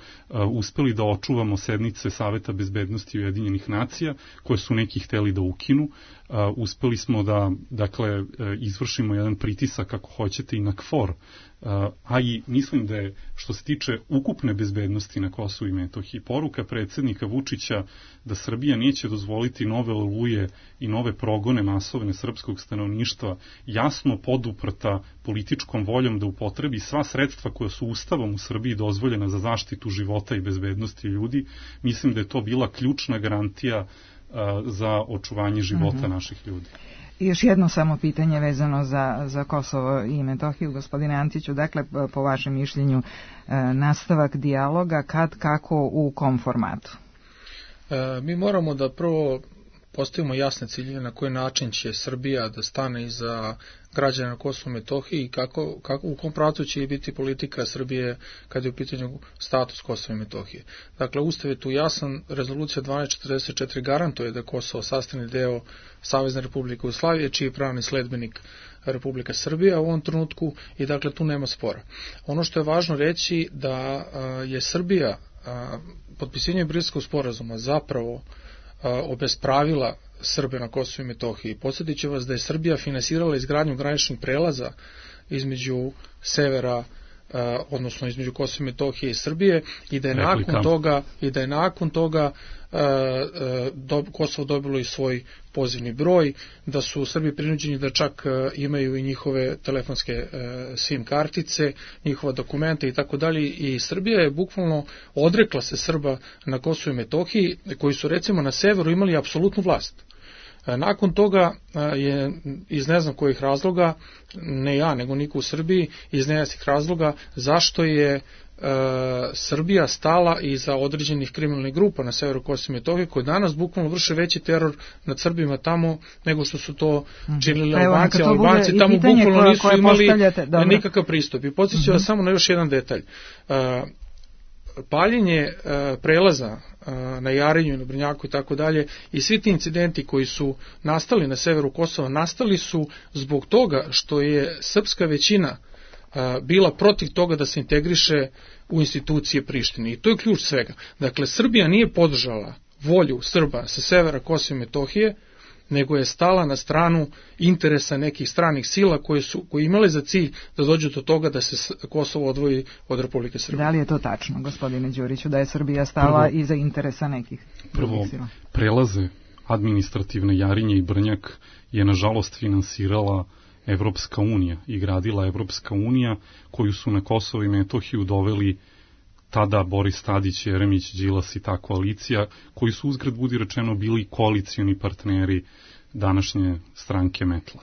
uspeli da očuvamo sednice Saveta bezbednosti Ujedinjenih nacija, koje su neki hteli da ukinu. Uh, uspeli smo da, dakle, uh, izvršimo jedan pritisak, ako hoćete, i na KFOR, uh, a i mislim da je, što se tiče ukupne bezbednosti na Kosovu i Metohiji, Metohiji. Poruka predsjednika Vučića da Srbija neće dozvoliti nove oluje i nove progone masovne srpskog stanovništva, jasno poduprta političkom voljom da upotrebi sva sredstva koja su Ustavom u Srbiji dozvoljena za zaštitu života i bezbednosti ljudi, mislim da je to bila ključna garantija a, za očuvanje života mm-hmm. naših ljudi. I još jedno samo pitanje vezano za, za Kosovo i Metohiju, gospodine Antiću, dakle, po vašem mišljenju, nastavak dijaloga, kad, kako, u kom formatu? E, mi moramo da prvo postavimo jasne ciljeve na koji način će Srbija da stane iza građana na Kosovu i Metohiji i kako, kako, u kom pravcu će biti politika Srbije kad je u pitanju status Kosova i Metohije. Dakle, Ustav je tu jasan, rezolucija dvanaest četrdeset četiri garantuje da Kosovo sastavni deo Savezne Republike Jugoslavije, čiji je pravni sledbenik Republika Srbija u ovom trenutku i dakle tu nema spora. Ono što je važno reći da a, je Srbija a, potpisivanjem Briselskog sporazuma zapravo obespravila Srbe na Kosovu i Metohiji. Podsjetit ću vas da je Srbija finansirala izgradnju graničnih prelaza između severa, odnosno između Kosova i Metohije i Srbije i da je Replika. nakon toga i da je nakon toga do, Kosovo dobilo i svoj pozivni broj, da su Srbi prinuđeni da čak imaju i njihove telefonske SIM kartice, njihova dokumenta i tako dalje, i Srbija je bukvalno odrekla se Srba na Kosovu i Metohiji koji su recimo na severu imali apsolutnu vlast. Nakon toga je iz ne znam kojih razloga, ne ja nego niko u Srbiji, iz nejasnih razloga zašto je e, Srbija stala iza određenih kriminalnih grupa na severu Kosova i Metohije koji danas bukvalno vrše veći teror nad Srbima tamo nego što su to činili Albanci. Albanci tamo bukvalno nisu imali nikakav pristup. I podsjećam mm-hmm. vas samo na još jedan detalj. E, paljenje e, prelaza e, na Jarinju, na Brnjaku i tako dalje i svi ti incidenti koji su nastali na severu Kosova nastali su zbog toga što je srpska većina e, bila protiv toga da se integriše u institucije Prištine i to je ključ svega. Dakle, Srbija nije podržala volju Srba sa severa Kosova i Metohije, nego je stala na stranu interesa nekih stranih sila koje su koje imale za cilj da dođu do toga da se Kosovo odvoji od Republike Srbije. Da li je to tačno, gospodine Đuriću, da je Srbija stala prvo, iza interesa nekih prvo sila? Prelaze administrativne Jarinje i Brnjak je nažalost finansirala Evropska unija i gradila Evropska unija koju su na Kosovo i Metohiju doveli tada Boris Tadić, Jeremić, Đilas i ta koalicija, koji su uzgred budi rečeno bili koalicioni partneri današnje stranke Metla.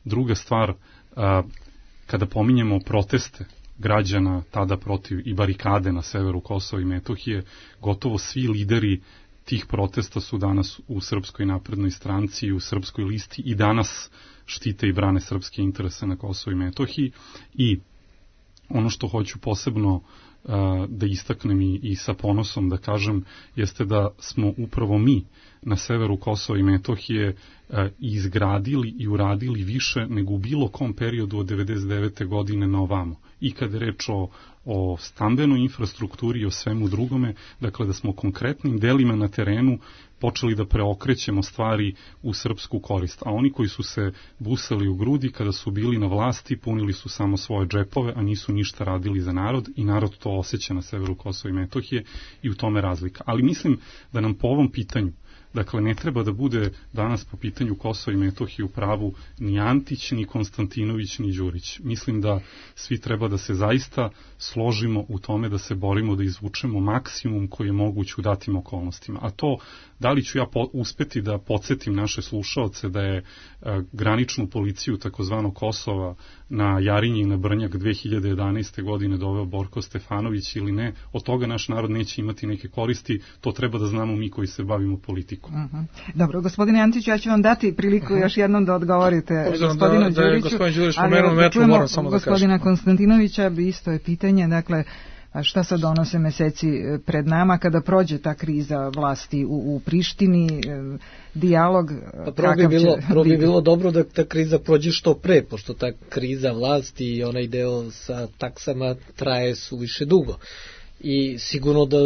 Druga stvar, kada pominjemo proteste građana tada protiv i barikade na severu Kosova i Metohije, gotovo svi lideri tih protesta su danas u Srpskoj naprednoj stranci i u Srpskoj listi i danas štite i brane srpske interese na Kosovu i Metohiji. I ono što hoću posebno da istaknem i, i sa ponosom da kažem, jeste da smo upravo mi na severu Kosova i Metohije izgradili i uradili više nego u bilo kom periodu od devedeset devete godine na ovamo. I kad je reč o, o stambenoj infrastrukturi i o svemu drugome, dakle da smo konkretnim delima na terenu počeli da preokrećemo stvari u srpsku korist. A oni koji su se busali u grudi kada su bili na vlasti, punili su samo svoje džepove, a nisu ništa radili za narod i narod to osjeća na severu Kosova i Metohije i u tome razlika. Ali mislim da nam po ovom pitanju, dakle, ne treba da bude danas po pitanju Kosova i Metohije u pravu ni Antić, ni Konstantinović, ni Đurić. Mislim da svi treba da se zaista složimo u tome da se borimo da izvučemo maksimum koji je moguć u datim okolnostima. A to, da li ću ja po, uspeti da podsjetim naše slušaoce da je a, graničnu policiju takozvano Kosova na Jarinji i na Brnjak dve hiljade jedanaeste. godine doveo Borko Stefanović ili ne, od toga naš narod neće imati neke koristi, to treba da znamo mi koji se bavimo politikom. Uh-huh. Dobro, gospodine Antiću, ja ću vam dati priliku uh-huh. još jednom da odgovorite gospodinu da, Đuriću, da gospodin Đurić pomenuo metru, moram samo da kažem. Gospodina Konstantinovića, isto je pitanje, dakle, šta se donose meseci pred nama kada prođe ta kriza vlasti u, u Prištini, dijalog pa prvo bi bilo, prvo bi bilo dobro da ta kriza prođe što pre, pošto ta kriza vlasti i onaj deo sa taksama traje suviše dugo. I sigurno da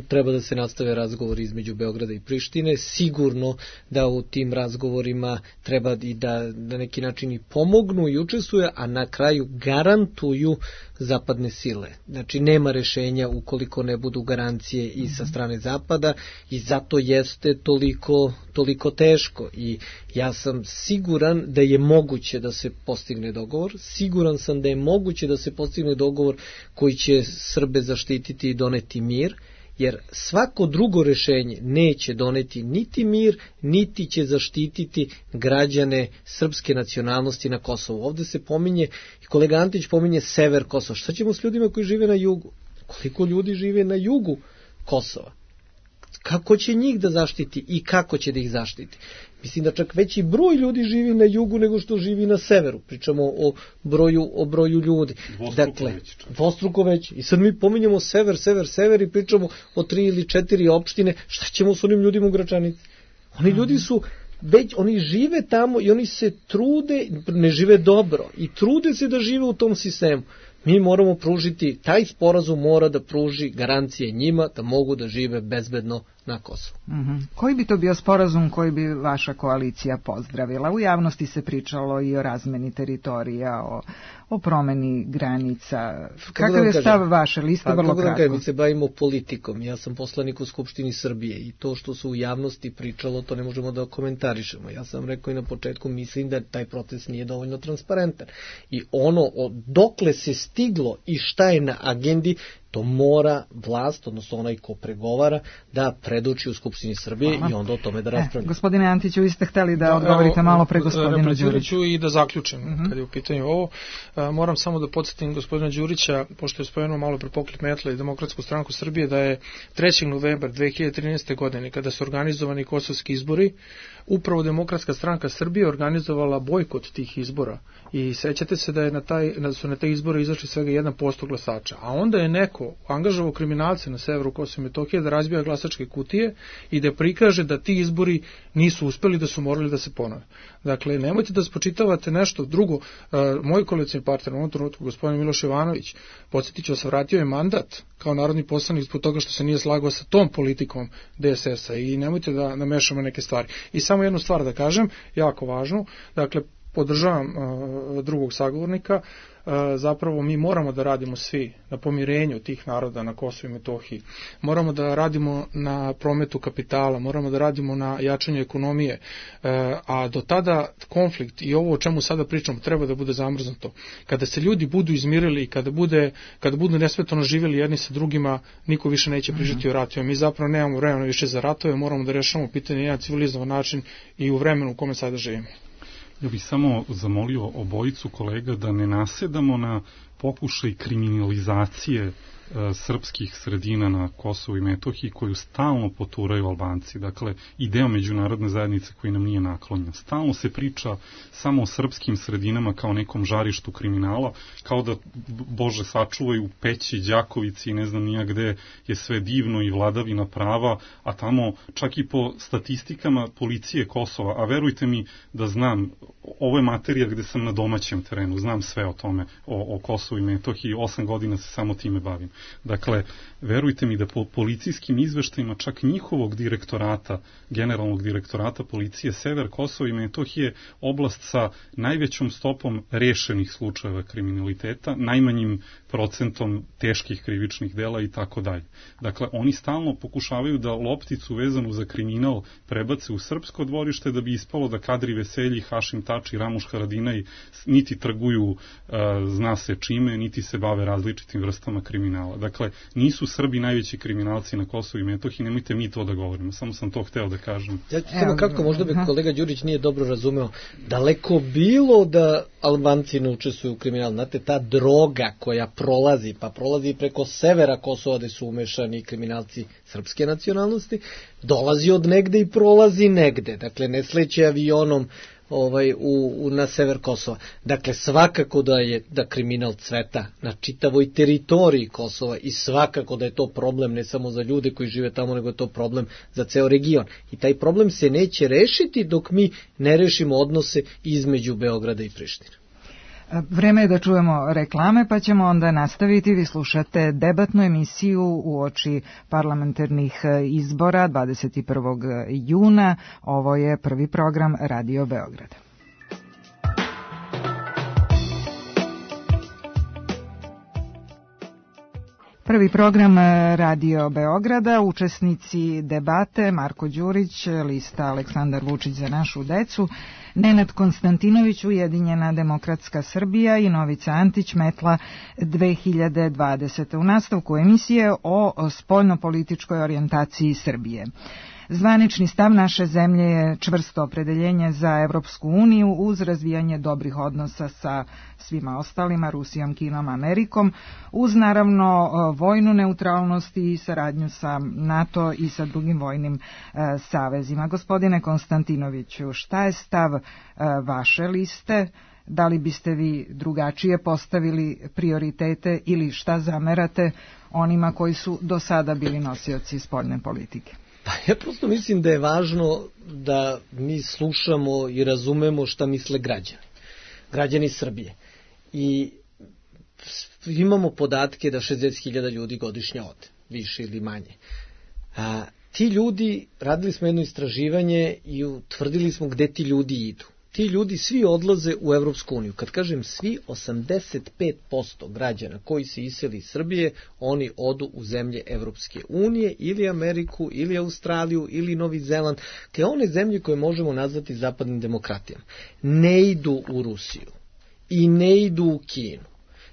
treba da se nastave razgovori između Beograda i Prištine, sigurno da u tim razgovorima treba i da na neki način i pomognu i učestvuju, a na kraju garantuju zapadne sile. Znači nema rešenja ukoliko ne budu garancije i sa strane zapada i zato jeste toliko, toliko teško i ja sam siguran da je moguće da se postigne dogovor, siguran sam da je moguće da se postigne dogovor koji će Srbe zaštititi i doneti mir, jer svako drugo rešenje neće doneti niti mir, niti će zaštititi građane srpske nacionalnosti na Kosovu. Ovde se pominje, i kolega Antić pominje sever Kosova. Šta ćemo s ljudima koji žive na jugu? Koliko ljudi žive na jugu Kosova? Kako će njih da zaštiti i kako će da ih zaštiti? Mislim da čak veći broj ljudi živi na jugu nego što živi na severu. Pričamo o broju, o broju ljudi. Dvostruko dakle, već. Dvostruko već. I sad mi pominjamo sever, sever, sever i pričamo o tri ili četiri opštine. Šta ćemo s onim ljudima u Gračanici? Oni ljudi su već, oni žive tamo i oni se trude, ne žive dobro i trude se da žive u tom sistemu. Mi moramo pružiti, taj sporazum mora da pruži garancije njima da mogu da žive bezbedno na Kosovu. Mm-hmm. Koji bi to bio sporazum koji bi vaša koalicija pozdravila? U javnosti se pričalo i o razmeni teritorija, o, o promeni granica. Kakav je stav vaše liste? Pa, vrlo kratko. Mi se bavimo politikom. Ja sam poslanik u Skupštini Srbije i to što se u javnosti pričalo, to ne možemo da komentarišemo. Ja sam rekao i na početku, mislim da taj proces nije dovoljno transparentan. I ono, dokle se stiglo i šta je na agendi, to mora vlast, odnosno onaj ko pregovara, da predoči u Skupštini Srbije. Hvala. I onda o tome da raspravljamo. E, gospodine Antiću, vi ste hteli da, da odgovorite evo, malo pre gospodinu Đuriću. I da zaključim, uh-huh. kad je u pitanju ovo. A, moram samo da podsjetim gospodina Đurića, pošto je spomenuo malo pre Pokret Metla i Demokratsku stranku Srbije, da je trećeg novembra dve hiljade trinaeste. godine, kada su organizovani kosovski izbori, upravo Demokratska stranka Srbije organizovala bojkot tih izbora. I sećate se da je na taj, da su na te izbore izašli svega jedan posto glasača. A onda je neko angažovao kriminalce na severu Kosova i Metohije da razbija glasačke kutije i da prikaže da ti izbori nisu uspeli, da su morali da se ponove. Dakle, nemojte da spočitavate nešto drugo. Moj koalicioni partner u ovom trenutku, gospodin Miloš Jovanović, podsjetit ću se, vratio je mandat kao narodni poslanik zbog toga što se nije slagao sa tom politikom D S S-a i nemojte da namešamo neke stvari. I samo jednu stvar da kažem, jako važnu, dakle, podržavam uh, drugog sagovornika, uh, zapravo mi moramo da radimo svi na pomirenju tih naroda na Kosovu i Metohiji, moramo da radimo na prometu kapitala, moramo da radimo na jačanju ekonomije, uh, a do tada konflikt i ovo o čemu sada pričamo treba da bude zamrznuto. Kada se ljudi budu izmirili i kada, bude, kada budu nesmetano živjeli jedni sa drugima, niko više neće pričati mm-hmm. o ratovima. Mi zapravo nemamo vremena više za ratove, moramo da rešavamo pitanje na jedan civilizovan način i u vremenu u kome sada živimo. Ja bih samo zamolio obojicu kolega da ne nasedamo na pokušaj kriminalizacije e, srpskih sredina na Kosovu i Metohiji koju stalno poturaju Albanci. Dakle, i deo međunarodne zajednice koji nam nije naklonjen. Stalno se priča samo o srpskim sredinama kao nekom žarištu kriminala, kao da, Bože sačuvaju, u Peći, Đakovici i ne znam nija gde je sve divno i vladavina prava, a tamo čak i po statistikama policije Kosova, a verujte mi da znam, ovo je materija gde sam na domaćem terenu, znam sve o tome, o, o Kosovu i Metohiji, osam godina se samo time bavim. Dakle, verujte mi da po policijskim izveštajima čak njihovog direktorata, generalnog direktorata policije Sever Kosova i Metohije, oblast sa najvećom stopom rešenih slučajeva kriminaliteta, najmanjim procentom teških krivičnih dela i tako dalje. Dakle, oni stalno pokušavaju da lopticu vezanu za kriminal prebace u srpsko dvorište da bi ispalo da Kadri Veselji, Hašim Tači, Ramuš Haradinaj niti trguju uh, zna se čime, niti se bave različitim vrstama kriminala. Dakle, nisu Srbi najveći kriminalci na Kosovu i Metohiji, nemojte mi to da govorimo, samo sam to hteo da kažem. Ja ću samo kako, možda bi kolega Đurić nije dobro razumeo, daleko bilo da Albanci ne učestvuju u kriminalu. Znate, ta droga koja prolazi, pa prolazi preko severa Kosova gde su umešani kriminalci srpske nacionalnosti, dolazi od negde i prolazi negde. Dakle, ne sleće avionom ovaj u, u na sever Kosova. Dakle, svakako da je da kriminal cveta na čitavoj teritoriji Kosova i svakako da je to problem ne samo za ljude koji žive tamo, nego je to problem za ceo region. I taj problem se neće rešiti dok mi ne rešimo odnose između Beograda i Prištine. Vreme je da čujemo reklame, pa ćemo onda nastaviti. Vi slušate debatnu emisiju uoči parlamentarnih izbora dvadeset prvog juna. Ovo je prvi program Radio Beograda. Prvi program Radio Beograda, učesnici debate Marko Đurić, lista Aleksandar Vučić za našu decu, Nenad Konstantinović, Ujedinjena demokratska Srbija i Novica Antić, Metla dve hiljade dvadesete. U nastavku emisije o spoljnopolitičkoj orijentaciji Srbije. Zvanični stav naše zemlje je čvrsto opredeljenje za Evropsku uniju uz razvijanje dobrih odnosa sa svima ostalima, Rusijom, Kinom, Amerikom, uz naravno vojnu neutralnost i saradnju sa NATO i sa drugim vojnim e, savezima. Gospodine Konstantinoviću, šta je stav e, vaše liste? Da li biste vi drugačije postavili prioritete ili šta zamerate onima koji su do sada bili nosioci spoljne politike? Pa ja prosto mislim da je važno da mi slušamo i razumemo šta misle građani. Građani Srbije. I imamo podatke da šezdeset hiljada ljudi godišnje ode, više ili manje. A, ti ljudi, radili smo jedno istraživanje i utvrdili smo gde ti ljudi idu. Ti ljudi svi odlaze u Evropsku uniju. Kad kažem svi, osamdeset pet posto građana koji se iseli iz Srbije, oni odu u zemlje Evropske unije, ili Ameriku, ili Australiju, ili Novi Zeland, te one zemlje koje možemo nazvati zapadnim demokratijama. Ne idu u Rusiju i ne idu u Kinu.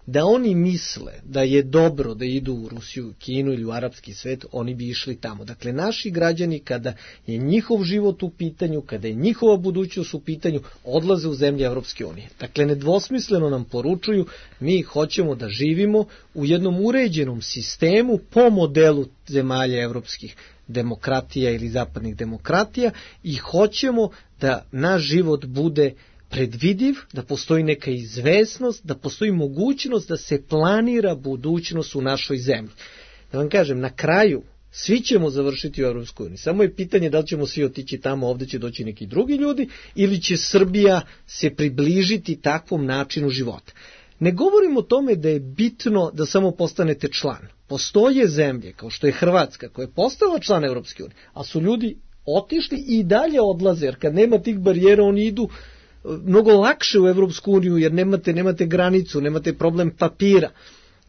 Da oni misle da je dobro da idu u Rusiju, Kinu ili u arapski svet, oni bi išli tamo. Dakle, naši građani, kada je njihov život u pitanju, kada je njihova budućnost u pitanju, odlaze u zemlje Evropske unije. Dakle, nedvosmisleno nam poručuju, mi hoćemo da živimo u jednom uređenom sistemu po modelu zemalja evropskih demokratija ili zapadnih demokratija i hoćemo da naš život bude predvidiv, da postoji neka izvesnost, da postoji mogućnost da se planira budućnost u našoj zemlji. Da vam kažem, na kraju svi ćemo završiti u Evropskoj uniji. Samo je pitanje da li ćemo svi otići tamo, ovde će doći neki drugi ljudi, ili će Srbija se približiti takvom načinu života. Ne govorim o tome da je bitno da samo postanete član. Postoje zemlje, kao što je Hrvatska, koja je postala član Evropske unije, a su ljudi otišli i dalje odlaze, jer kad nema tih barijera, oni idu mnogo lakše u Evropsku uniju, jer nemate, nemate granicu, nemate problem papira.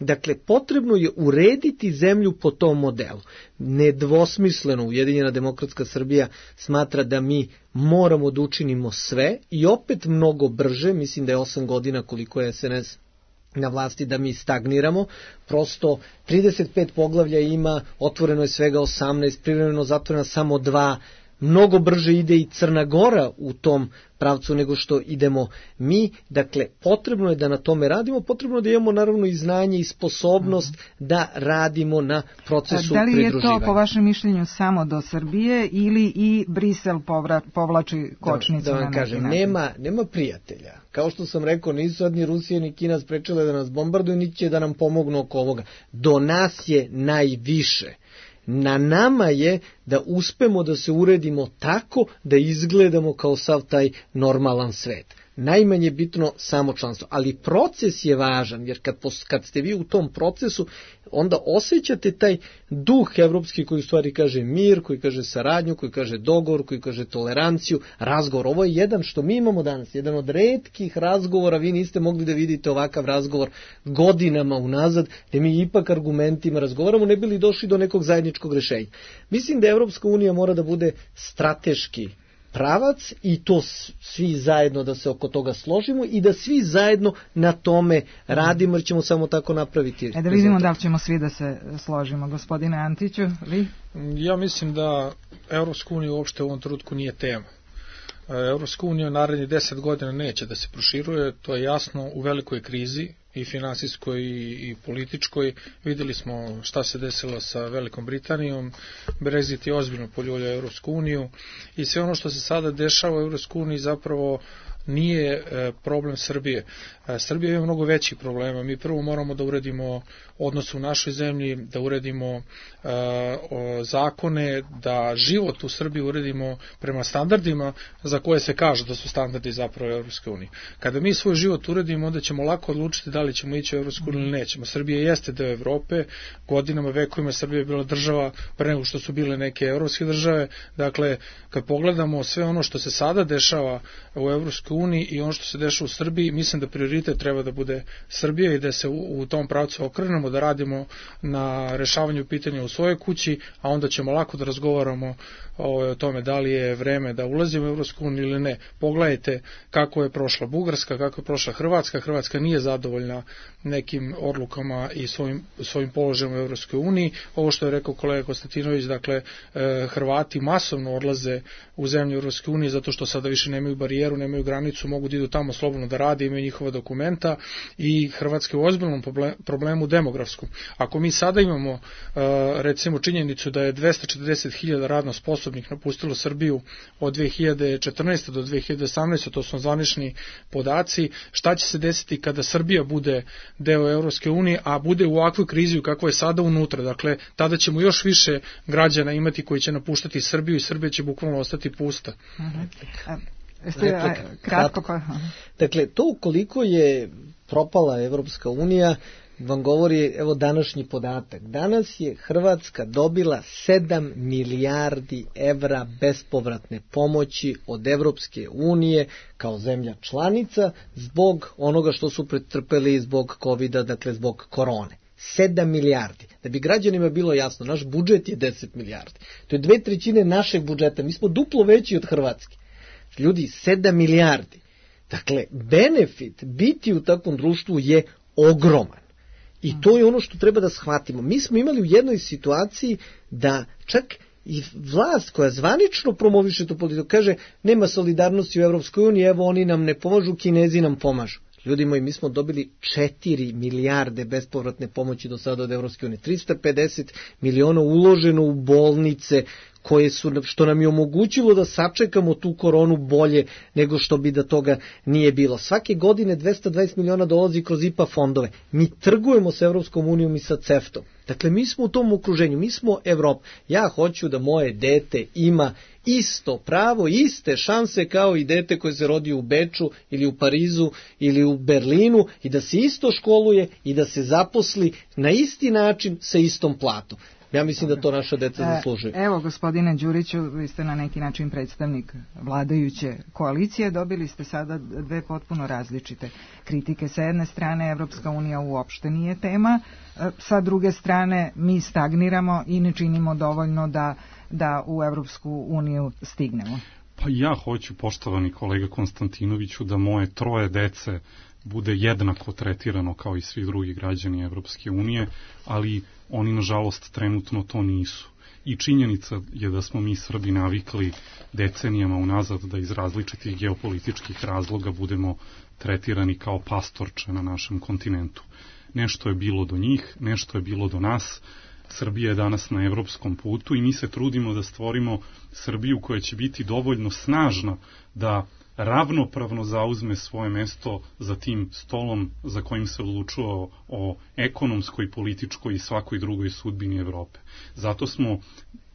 Dakle, potrebno je urediti zemlju po tom modelu. Nedvosmisleno Ujedinjena demokratska Srbija smatra da mi moramo da učinimo sve i opet mnogo brže, mislim da je osam godina koliko je S N S na vlasti, da mi stagniramo. Prosto trideset pet poglavlja ima, otvoreno je svega osamnaest, privremeno zatvoreno samo dva. Mnogo brže ide i Crna Gora u tom pravcu nego što idemo mi. Dakle, potrebno je da na tome radimo, potrebno je da imamo naravno i znanje i sposobnost mm-hmm. da radimo na procesu pridruživanja. Da li je pridruživanja. to po vašem mišljenju samo do Srbije ili i Brisel povra, povlači kočnicu? Da, da vam kažem, nema, nema prijatelja. Kao što sam rekao, nisu sad ni Rusija ni Kina sprečile da nas bombarduju, niti će da nam pomognu oko ovoga. Do nas je najviše. Na nama je da uspemo da se uredimo tako da izgledamo kao sav taj normalan svet. Najmanje bitno samo članstvo, ali proces je važan, jer kad, kad ste vi u tom procesu, onda osjećate taj duh evropski koji u stvari kaže mir, koji kaže saradnju, koji kaže dogovor, koji kaže toleranciju, razgovor. Ovo je jedan što mi imamo danas, jedan od retkih razgovora, vi niste mogli da vidite ovakav razgovor godinama unazad, gde mi ipak argumentima razgovaramo, ne bili došli do nekog zajedničkog rešenja. Mislim da Evropska unija mora da bude strateški pravac i to svi zajedno da se oko toga složimo i da svi zajedno na tome radimo, jer ćemo samo tako napraviti. E da vidimo rezultat. Da li ćemo svi da se složimo. Gospodine Antiću, vi? Ja mislim da Evropska unija uopšte u ovom trenutku nije tema. Evropska unija narednih deset godina neće da se proširuje, to je jasno, u velikoj krizi i finansijskoj i političkoj. Videli smo šta se desilo sa Velikom Britanijom, Brexit je ozbiljno poljuljao Evropsku uniju i sve ono što se sada dešava u Evropskoj uniji zapravo nije problem Srbije. Srbija ima mnogo većih problema. Mi prvo moramo da uredimo odnos u našoj zemlji, da uredimo uh, zakone, da život u Srbiji uredimo prema standardima za koje se kaže da su standardi zapravo Evropske unije. Kada mi svoj život uredimo, onda ćemo lako odlučiti da li ćemo ići u Evropsku uniju ili nećemo. Srbija jeste deo Evrope, godinama, vekovima Srbija je bila država pre nego što su bile neke evropske države. Dakle, kad pogledamo sve ono što se sada dešava u Evropskoj Evropskoj uniji i ono što se dešava u Srbiji, mislim da prioritet treba da bude Srbija i da se u, u tom pravcu okrenemo, da radimo na rešavanju pitanja u svojoj kući, a onda ćemo lako da razgovaramo o, o tome da li je vreme da ulazimo u Evropsku uniju ili ne. Pogledajte kako je prošla Bugarska, kako je prošla Hrvatska. Hrvatska nije zadovoljna nekim odlukama i svojim, svojim položajem u Evropskoj uniji. Ovo što je rekao kolega Konstantinović, dakle, Hrvati masovno odlaze u zemlju Evropske unije zato što sada više nemaju barijeru, nemaju granicu, mogu da idu tamo slobodno da rade, imaju njihova dokumenta i Hrvatska je u ozbiljnom problemu demografskom. Ako mi sada imamo recimo činjenicu da je dvesta četrdeset hiljada radno sposobnih napustilo Srbiju od dve hiljade četrnaeste do dve hiljade osamnaeste, to su zvanični podaci, šta će se desiti kada Srbija bude deo Evropske unije, a bude u ovakvoj krizi kako je sada unutra, dakle, tada ćemo još više građana imati koji će napuštati Srbiju i Srbija će bukvalno ostati pusta. Uh-huh. A, jeste, a, kratko pa... Dakle, to koliko je propala Evropska unija vam govori, evo, današnji podatak. Danas je Hrvatska dobila sedam milijardi evra bespovratne pomoći od Evropske unije kao zemlja članica zbog onoga što su pretrpeli zbog kovida, dakle zbog korone. sedam milijardi. Da bi građanima bilo jasno, naš budžet je deset milijardi. To je dve trećine našeg budžeta. Mi smo duplo veći od Hrvatske. Ljudi, sedam milijardi. Dakle, benefit biti u takvom društvu je ogroman. I to je ono što treba da shvatimo. Mi smo imali u jednoj situaciji da čak i vlast koja zvanično promoviše tu politiku kaže nema solidarnosti u Evropskoj uniji, evo oni nam ne pomažu, Kinezi nam pomažu. Ljudi moji, mi smo dobili četiri milijarde bespovratne pomoći do sada od Evropske unije. trista pedeset miliona uloženo u bolnice koje su, što nam je omogućilo da sačekamo tu koronu bolje nego što bi da toga nije bilo. Svake godine dvesta dvadeset miliona dolazi kroz I P A fondove. Mi trgujemo sa Evropskom unijom i sa CEFTA-om. Dakle, mi smo u tom okruženju, mi smo Evropa. Ja hoću da moje dete ima isto pravo, iste šanse kao i dete koje se rodi u Beču ili u Parizu ili u Berlinu i da se isto školuje i da se zaposli na isti način sa istom platom. Ja mislim da to naša deca zaslužuju. Evo, gospodine Đuriću, vi ste na neki način predstavnik vladajuće koalicije, dobili ste sada dve potpuno različite kritike. Sa jedne strane, Evropska unija uopšte nije tema, sa druge strane, mi stagniramo i ne činimo dovoljno da, da u Evropsku uniju stignemo. Pa ja hoću, poštovani kolega Konstantinoviću, da moje troje dece bude jednako tretirano kao i svi drugi građani Evropske unije, ali oni nažalost trenutno to nisu. I činjenica je da smo mi Srbi navikli decenijama unazad da iz različitih geopolitičkih razloga budemo tretirani kao pastorče na našem kontinentu. Nešto je bilo do njih, nešto je bilo do nas. Srbija je danas na evropskom putu i mi se trudimo da stvorimo Srbiju koja će biti dovoljno snažna da ravnopravno zauzme svoje mesto za tim stolom za kojim se odlučuo o ekonomskoj, političkoj i svakoj drugoj sudbini Evrope. Zato smo,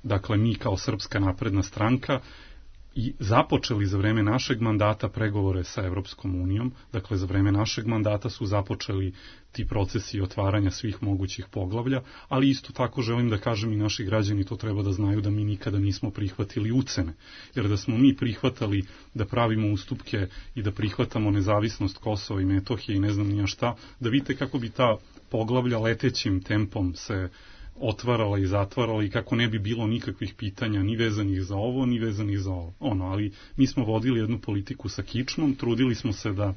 dakle, mi kao Srpska napredna stranka i započeli za vreme našeg mandata pregovore sa Evropskom unijom, dakle za vreme našeg mandata su započeli ti procesi otvaranja svih mogućih poglavlja, ali isto tako želim da kažem i naši građani to treba da znaju da mi nikada nismo prihvatili ucene, jer da smo mi prihvatali da pravimo ustupke i da prihvatamo nezavisnost Kosova i Metohije i ne znam nija šta, da vidite kako bi ta poglavlja letećim tempom se otvarala i zatvarala i kako ne bi bilo nikakvih pitanja ni vezanih za ovo, ni vezanih za ovo. Ono, ali mi smo vodili jednu politiku sa kičmom, trudili smo se da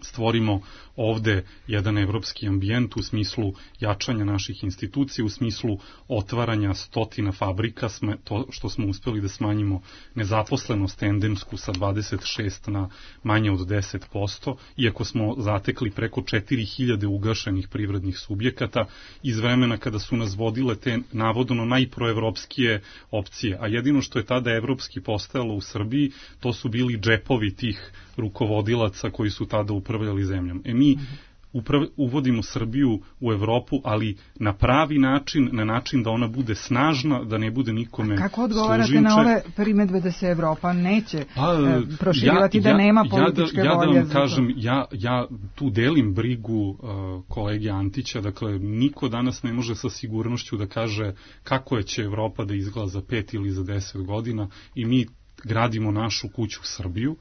stvorimo ovde jedan evropski ambijent u smislu jačanja naših institucija, u smislu otvaranja stotina fabrika, to što smo uspeli da smanjimo nezaposlenost endemsku sa dvadeset šest na manje od deset posto, iako smo zatekli preko četiri hiljade ugašenih privrednih subjekata iz vremena kada su nas vodile te navodno najproevropskije opcije, a jedino što je tada evropski postajalo u Srbiji, to su bili džepovi tih rukovodilaca koji su tada upravljali zemljom. E mi uprav, uvodimo Srbiju u Evropu, ali na pravi način, na način da ona bude snažna, da ne bude nikome služinče. Kako odgovarate na ove primedbe da se Evropa neće pa, e, proširivati, ja, da nema političke ja, ja, volje? Ja da vam kažem, ja, ja tu delim brigu uh, kolege Antića, dakle niko danas ne može sa sigurnošću da kaže kako će Evropa da izgleda za pet ili za deset godina i mi gradimo našu kuću Srbiju.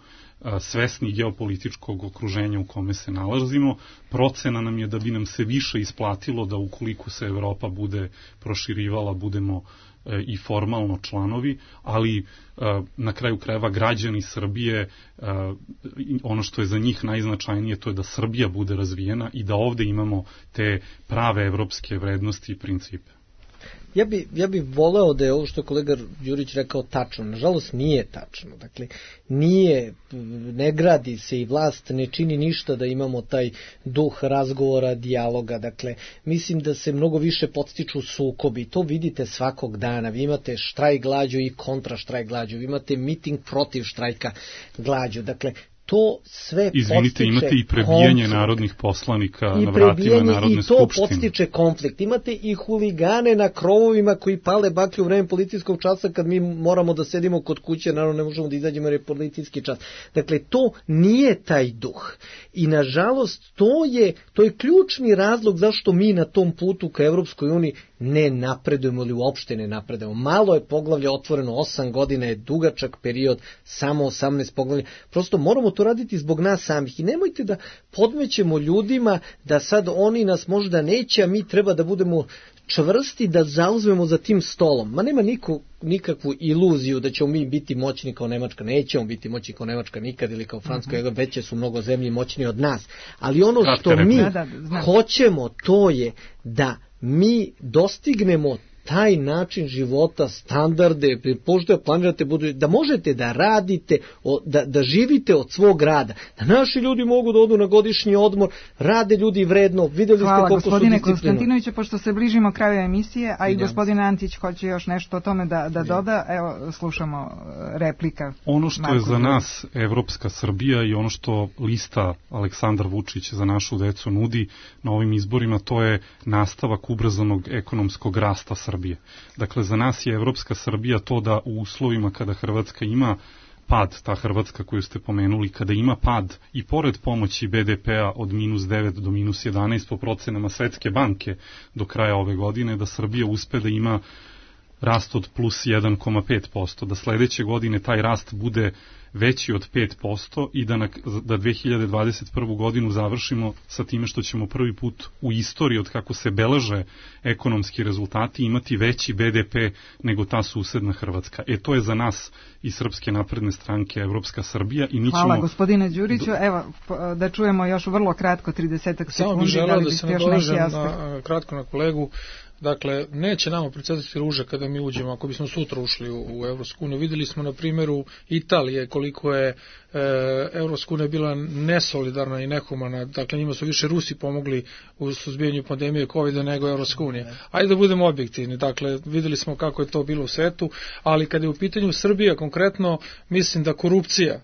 svesni geopolitičkog okruženja u kome se nalazimo. Procena nam je da bi nam se više isplatilo da ukoliko se Evropa bude proširivala, budemo i formalno članovi, ali na kraju krajeva građani Srbije, ono što je za njih najznačajnije, to je da Srbija bude razvijena i da ovde imamo te prave evropske vrednosti i principe. Ja bi, ja bi voleo da je ovo što je kolega Đurić rekao tačno. Nažalost nije tačno. Dakle, nije, ne gradi se i vlast ne čini ništa da imamo taj duh razgovora, dijaloga. Dakle, mislim da se mnogo više podstiču sukobi. To vidite svakog dana. Vi imate štrajk glađu i kontra štrajk glađu. Vi imate miting protiv štrajka glađu. Dakle, to sve Izvinite, podstiče imate i prebijanje konflikt. Narodnih poslanika I na vratima Narodne skupštine. I to podstiče konflikt. Imate i huligane na krovovima koji pale baklje u vreme policijskog časa kad mi moramo da sedimo kod kuće, naravno ne možemo da izađemo jer je policijski čas. Dakle, to nije taj duh. I nažalost, to je, to je ključni razlog zašto mi na tom putu ka Evropskoj uniji ne napredujemo ili uopšte ne napredujemo. Malo je poglavlja otvoreno, osam godina je dugačak period, samo osamnaest poglavlja. Prosto moramo to raditi zbog nas samih i nemojte da podmećemo ljudima da sad oni nas možda neće, a mi treba da budemo čvrsti da zauzmemo za tim stolom. Ma nema niko, nikakvu iluziju da ćemo mi biti moćni kao Nemačka. Nećemo biti moćni kao Nemačka nikad ili kao Francuska, uh-huh. veće su mnogo zemlji moćni od nas. Ali ono što mi da, da, hoćemo to je da mi dostignemo taj način života, standarde, pošto planirate, budu, da možete da radite, da, da živite od svog rada, da naši ljudi mogu da odu na godišnji odmor, rade ljudi vredno, videli ste koliko su disciplinovani. Hvala gospodine Konstantinoviću, pošto se bližimo kraju emisije, a i gospodin Antić hoće još nešto o tome da, da doda, evo slušamo replika. Ono što Marko je za nas Evropska Srbija i ono što lista Aleksandar Vučić za našu decu nudi na ovim izborima, to je nastavak ubrzanog ekonomskog rasta Srbije. Dakle, za nas je Evropska Srbija to da u uslovima kada Hrvatska ima pad, ta Hrvatska koju ste pomenuli, kada ima pad i pored pomoći be de pe-a od minus devet do minus jedanaest po procenama Svetske banke do kraja ove godine, da Srbija uspe da ima rast od plus jedan zarez pet posto, da sledeće godine taj rast bude veći od pet posto i da, na, da dve hiljade dvadeset prvu godinu završimo sa time što ćemo prvi put u istoriji od kako se beleže ekonomski rezultati imati veći be de pe nego ta susedna Hrvatska. E to je za nas i Srpske napredne stranke Evropska Srbija. I mi Hvala ćemo... gospodine Đuriću. Evo, da čujemo još vrlo kratko, tridesetak sekundi. Samo bih želeo da, da se nadovežem na, kratko na kolegu. Dakle, neće nama procvetati ruže kada mi uđemo, ako bismo sutra ušli u, u Evropsku uniju. Videli smo na primjeru Italije koliko je e, Evropska unija bila nesolidarna i nehumana. Dakle, njima su više Rusi pomogli u suzbijanju pandemije kovida nego Evropska unija. Ajde da budemo objektivni. Dakle, videli smo kako je to bilo u svetu, ali kada je u pitanju Srbija konkretno, mislim da korupcija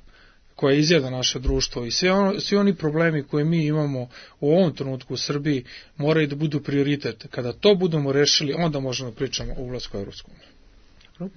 koja izjeda naše društvo i svi, ono, svi oni problemi koje mi imamo u ovom trenutku u Srbiji moraju da budu prioritet. Kada to budemo rešili, onda možemo pričamo o ulasku u Evropsku uniju.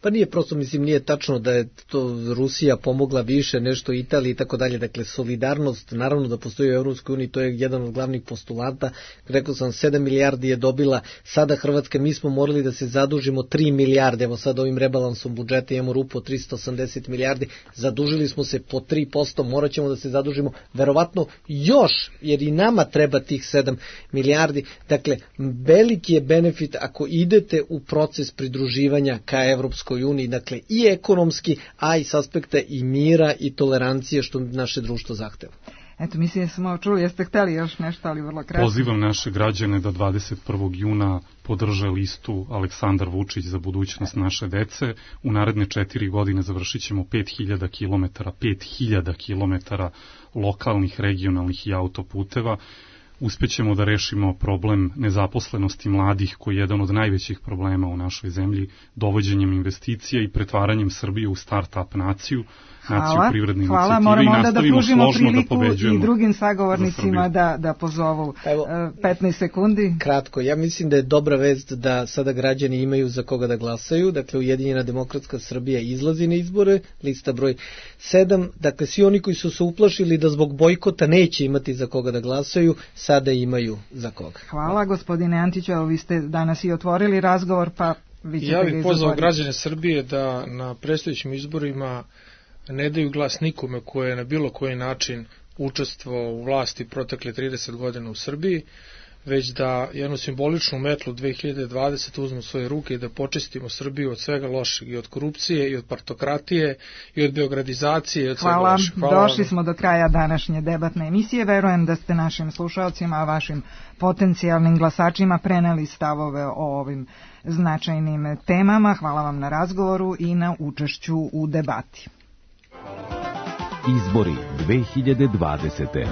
Pa nije prosto, mislim, nije tačno da je to Rusija pomogla više, nešto Italiji i tako dalje. Dakle, solidarnost, naravno da postoji u Evropskoj uniji, to je jedan od glavnih postulata. Rekao sam, sedam milijardi je dobila, sada Hrvatska, mi smo morali da se zadužimo tri milijarde, evo sad ovim rebalansom budžeta imamo rupu od tristo osamdeset milijardi, zadužili smo se po tri posto, morat ćemo da se zadužimo verovatno još, jer i nama treba tih sedam milijardi. Dakle, veliki je benefit ako idete u proces pridruživanja ka Evropskoj uniji, dakle i ekonomski, a i s aspekta i mira i tolerancije što naše društvo zahteva. Eto, mislim da smo čuli, jeste hteli još nešto, ali vrlo kratko. Pozivam naše građane da dvadeset prvog juna podrže listu Aleksandar Vučić za budućnost naše dece. U naredne četiri godine završit ćemo pet hiljada kilometara, pet hiljada kilometara lokalnih, regionalnih i autoputeva. Uspećemo da rešimo problem nezaposlenosti mladih, koji je jedan od najvećih problema u našoj zemlji, dovođenjem investicija i pretvaranjem Srbije u start-up naciju, naciju privredne hvala. inicijative i nastavimo da složno priliku da pobeđujemo i drugim sagovornicima da, da pozovu. Evo, petnaest sekundi. Kratko, ja mislim da je dobra vest da sada građani imaju za koga da glasaju. Dakle, Ujedinjena demokratska Srbija izlazi na izbore, lista broj sedam. Dakle, svi oni koji su se uplašili da zbog bojkota neće imati za koga da glasaju, sada imaju za koga. Hvala, gospodine Antiću, evo vi ste danas i otvorili razgovor, pa vi ćete ja ga bih pozvao građane Srbije da na predstojećim izborima ne daju glas nikome koje je na bilo koji način učestvovao u vlasti protekle trideset godina u Srbiji, već da jednu simboličnu metlu dve hiljade dvadesete uzmu u svoje ruke i da počistimo Srbiju od svega lošeg, i od korupcije, i od partokratije, i od beogradizacije, i od svega Hvala. lošeg. Hvala. Došli smo do kraja današnje debatne emisije. Verujem da ste našim slušalcima, vašim potencijalnim glasačima preneli stavove o ovim značajnim temama. Hvala vam na razgovoru i na učešću u debati. Izbori dve hiljade dvadesete.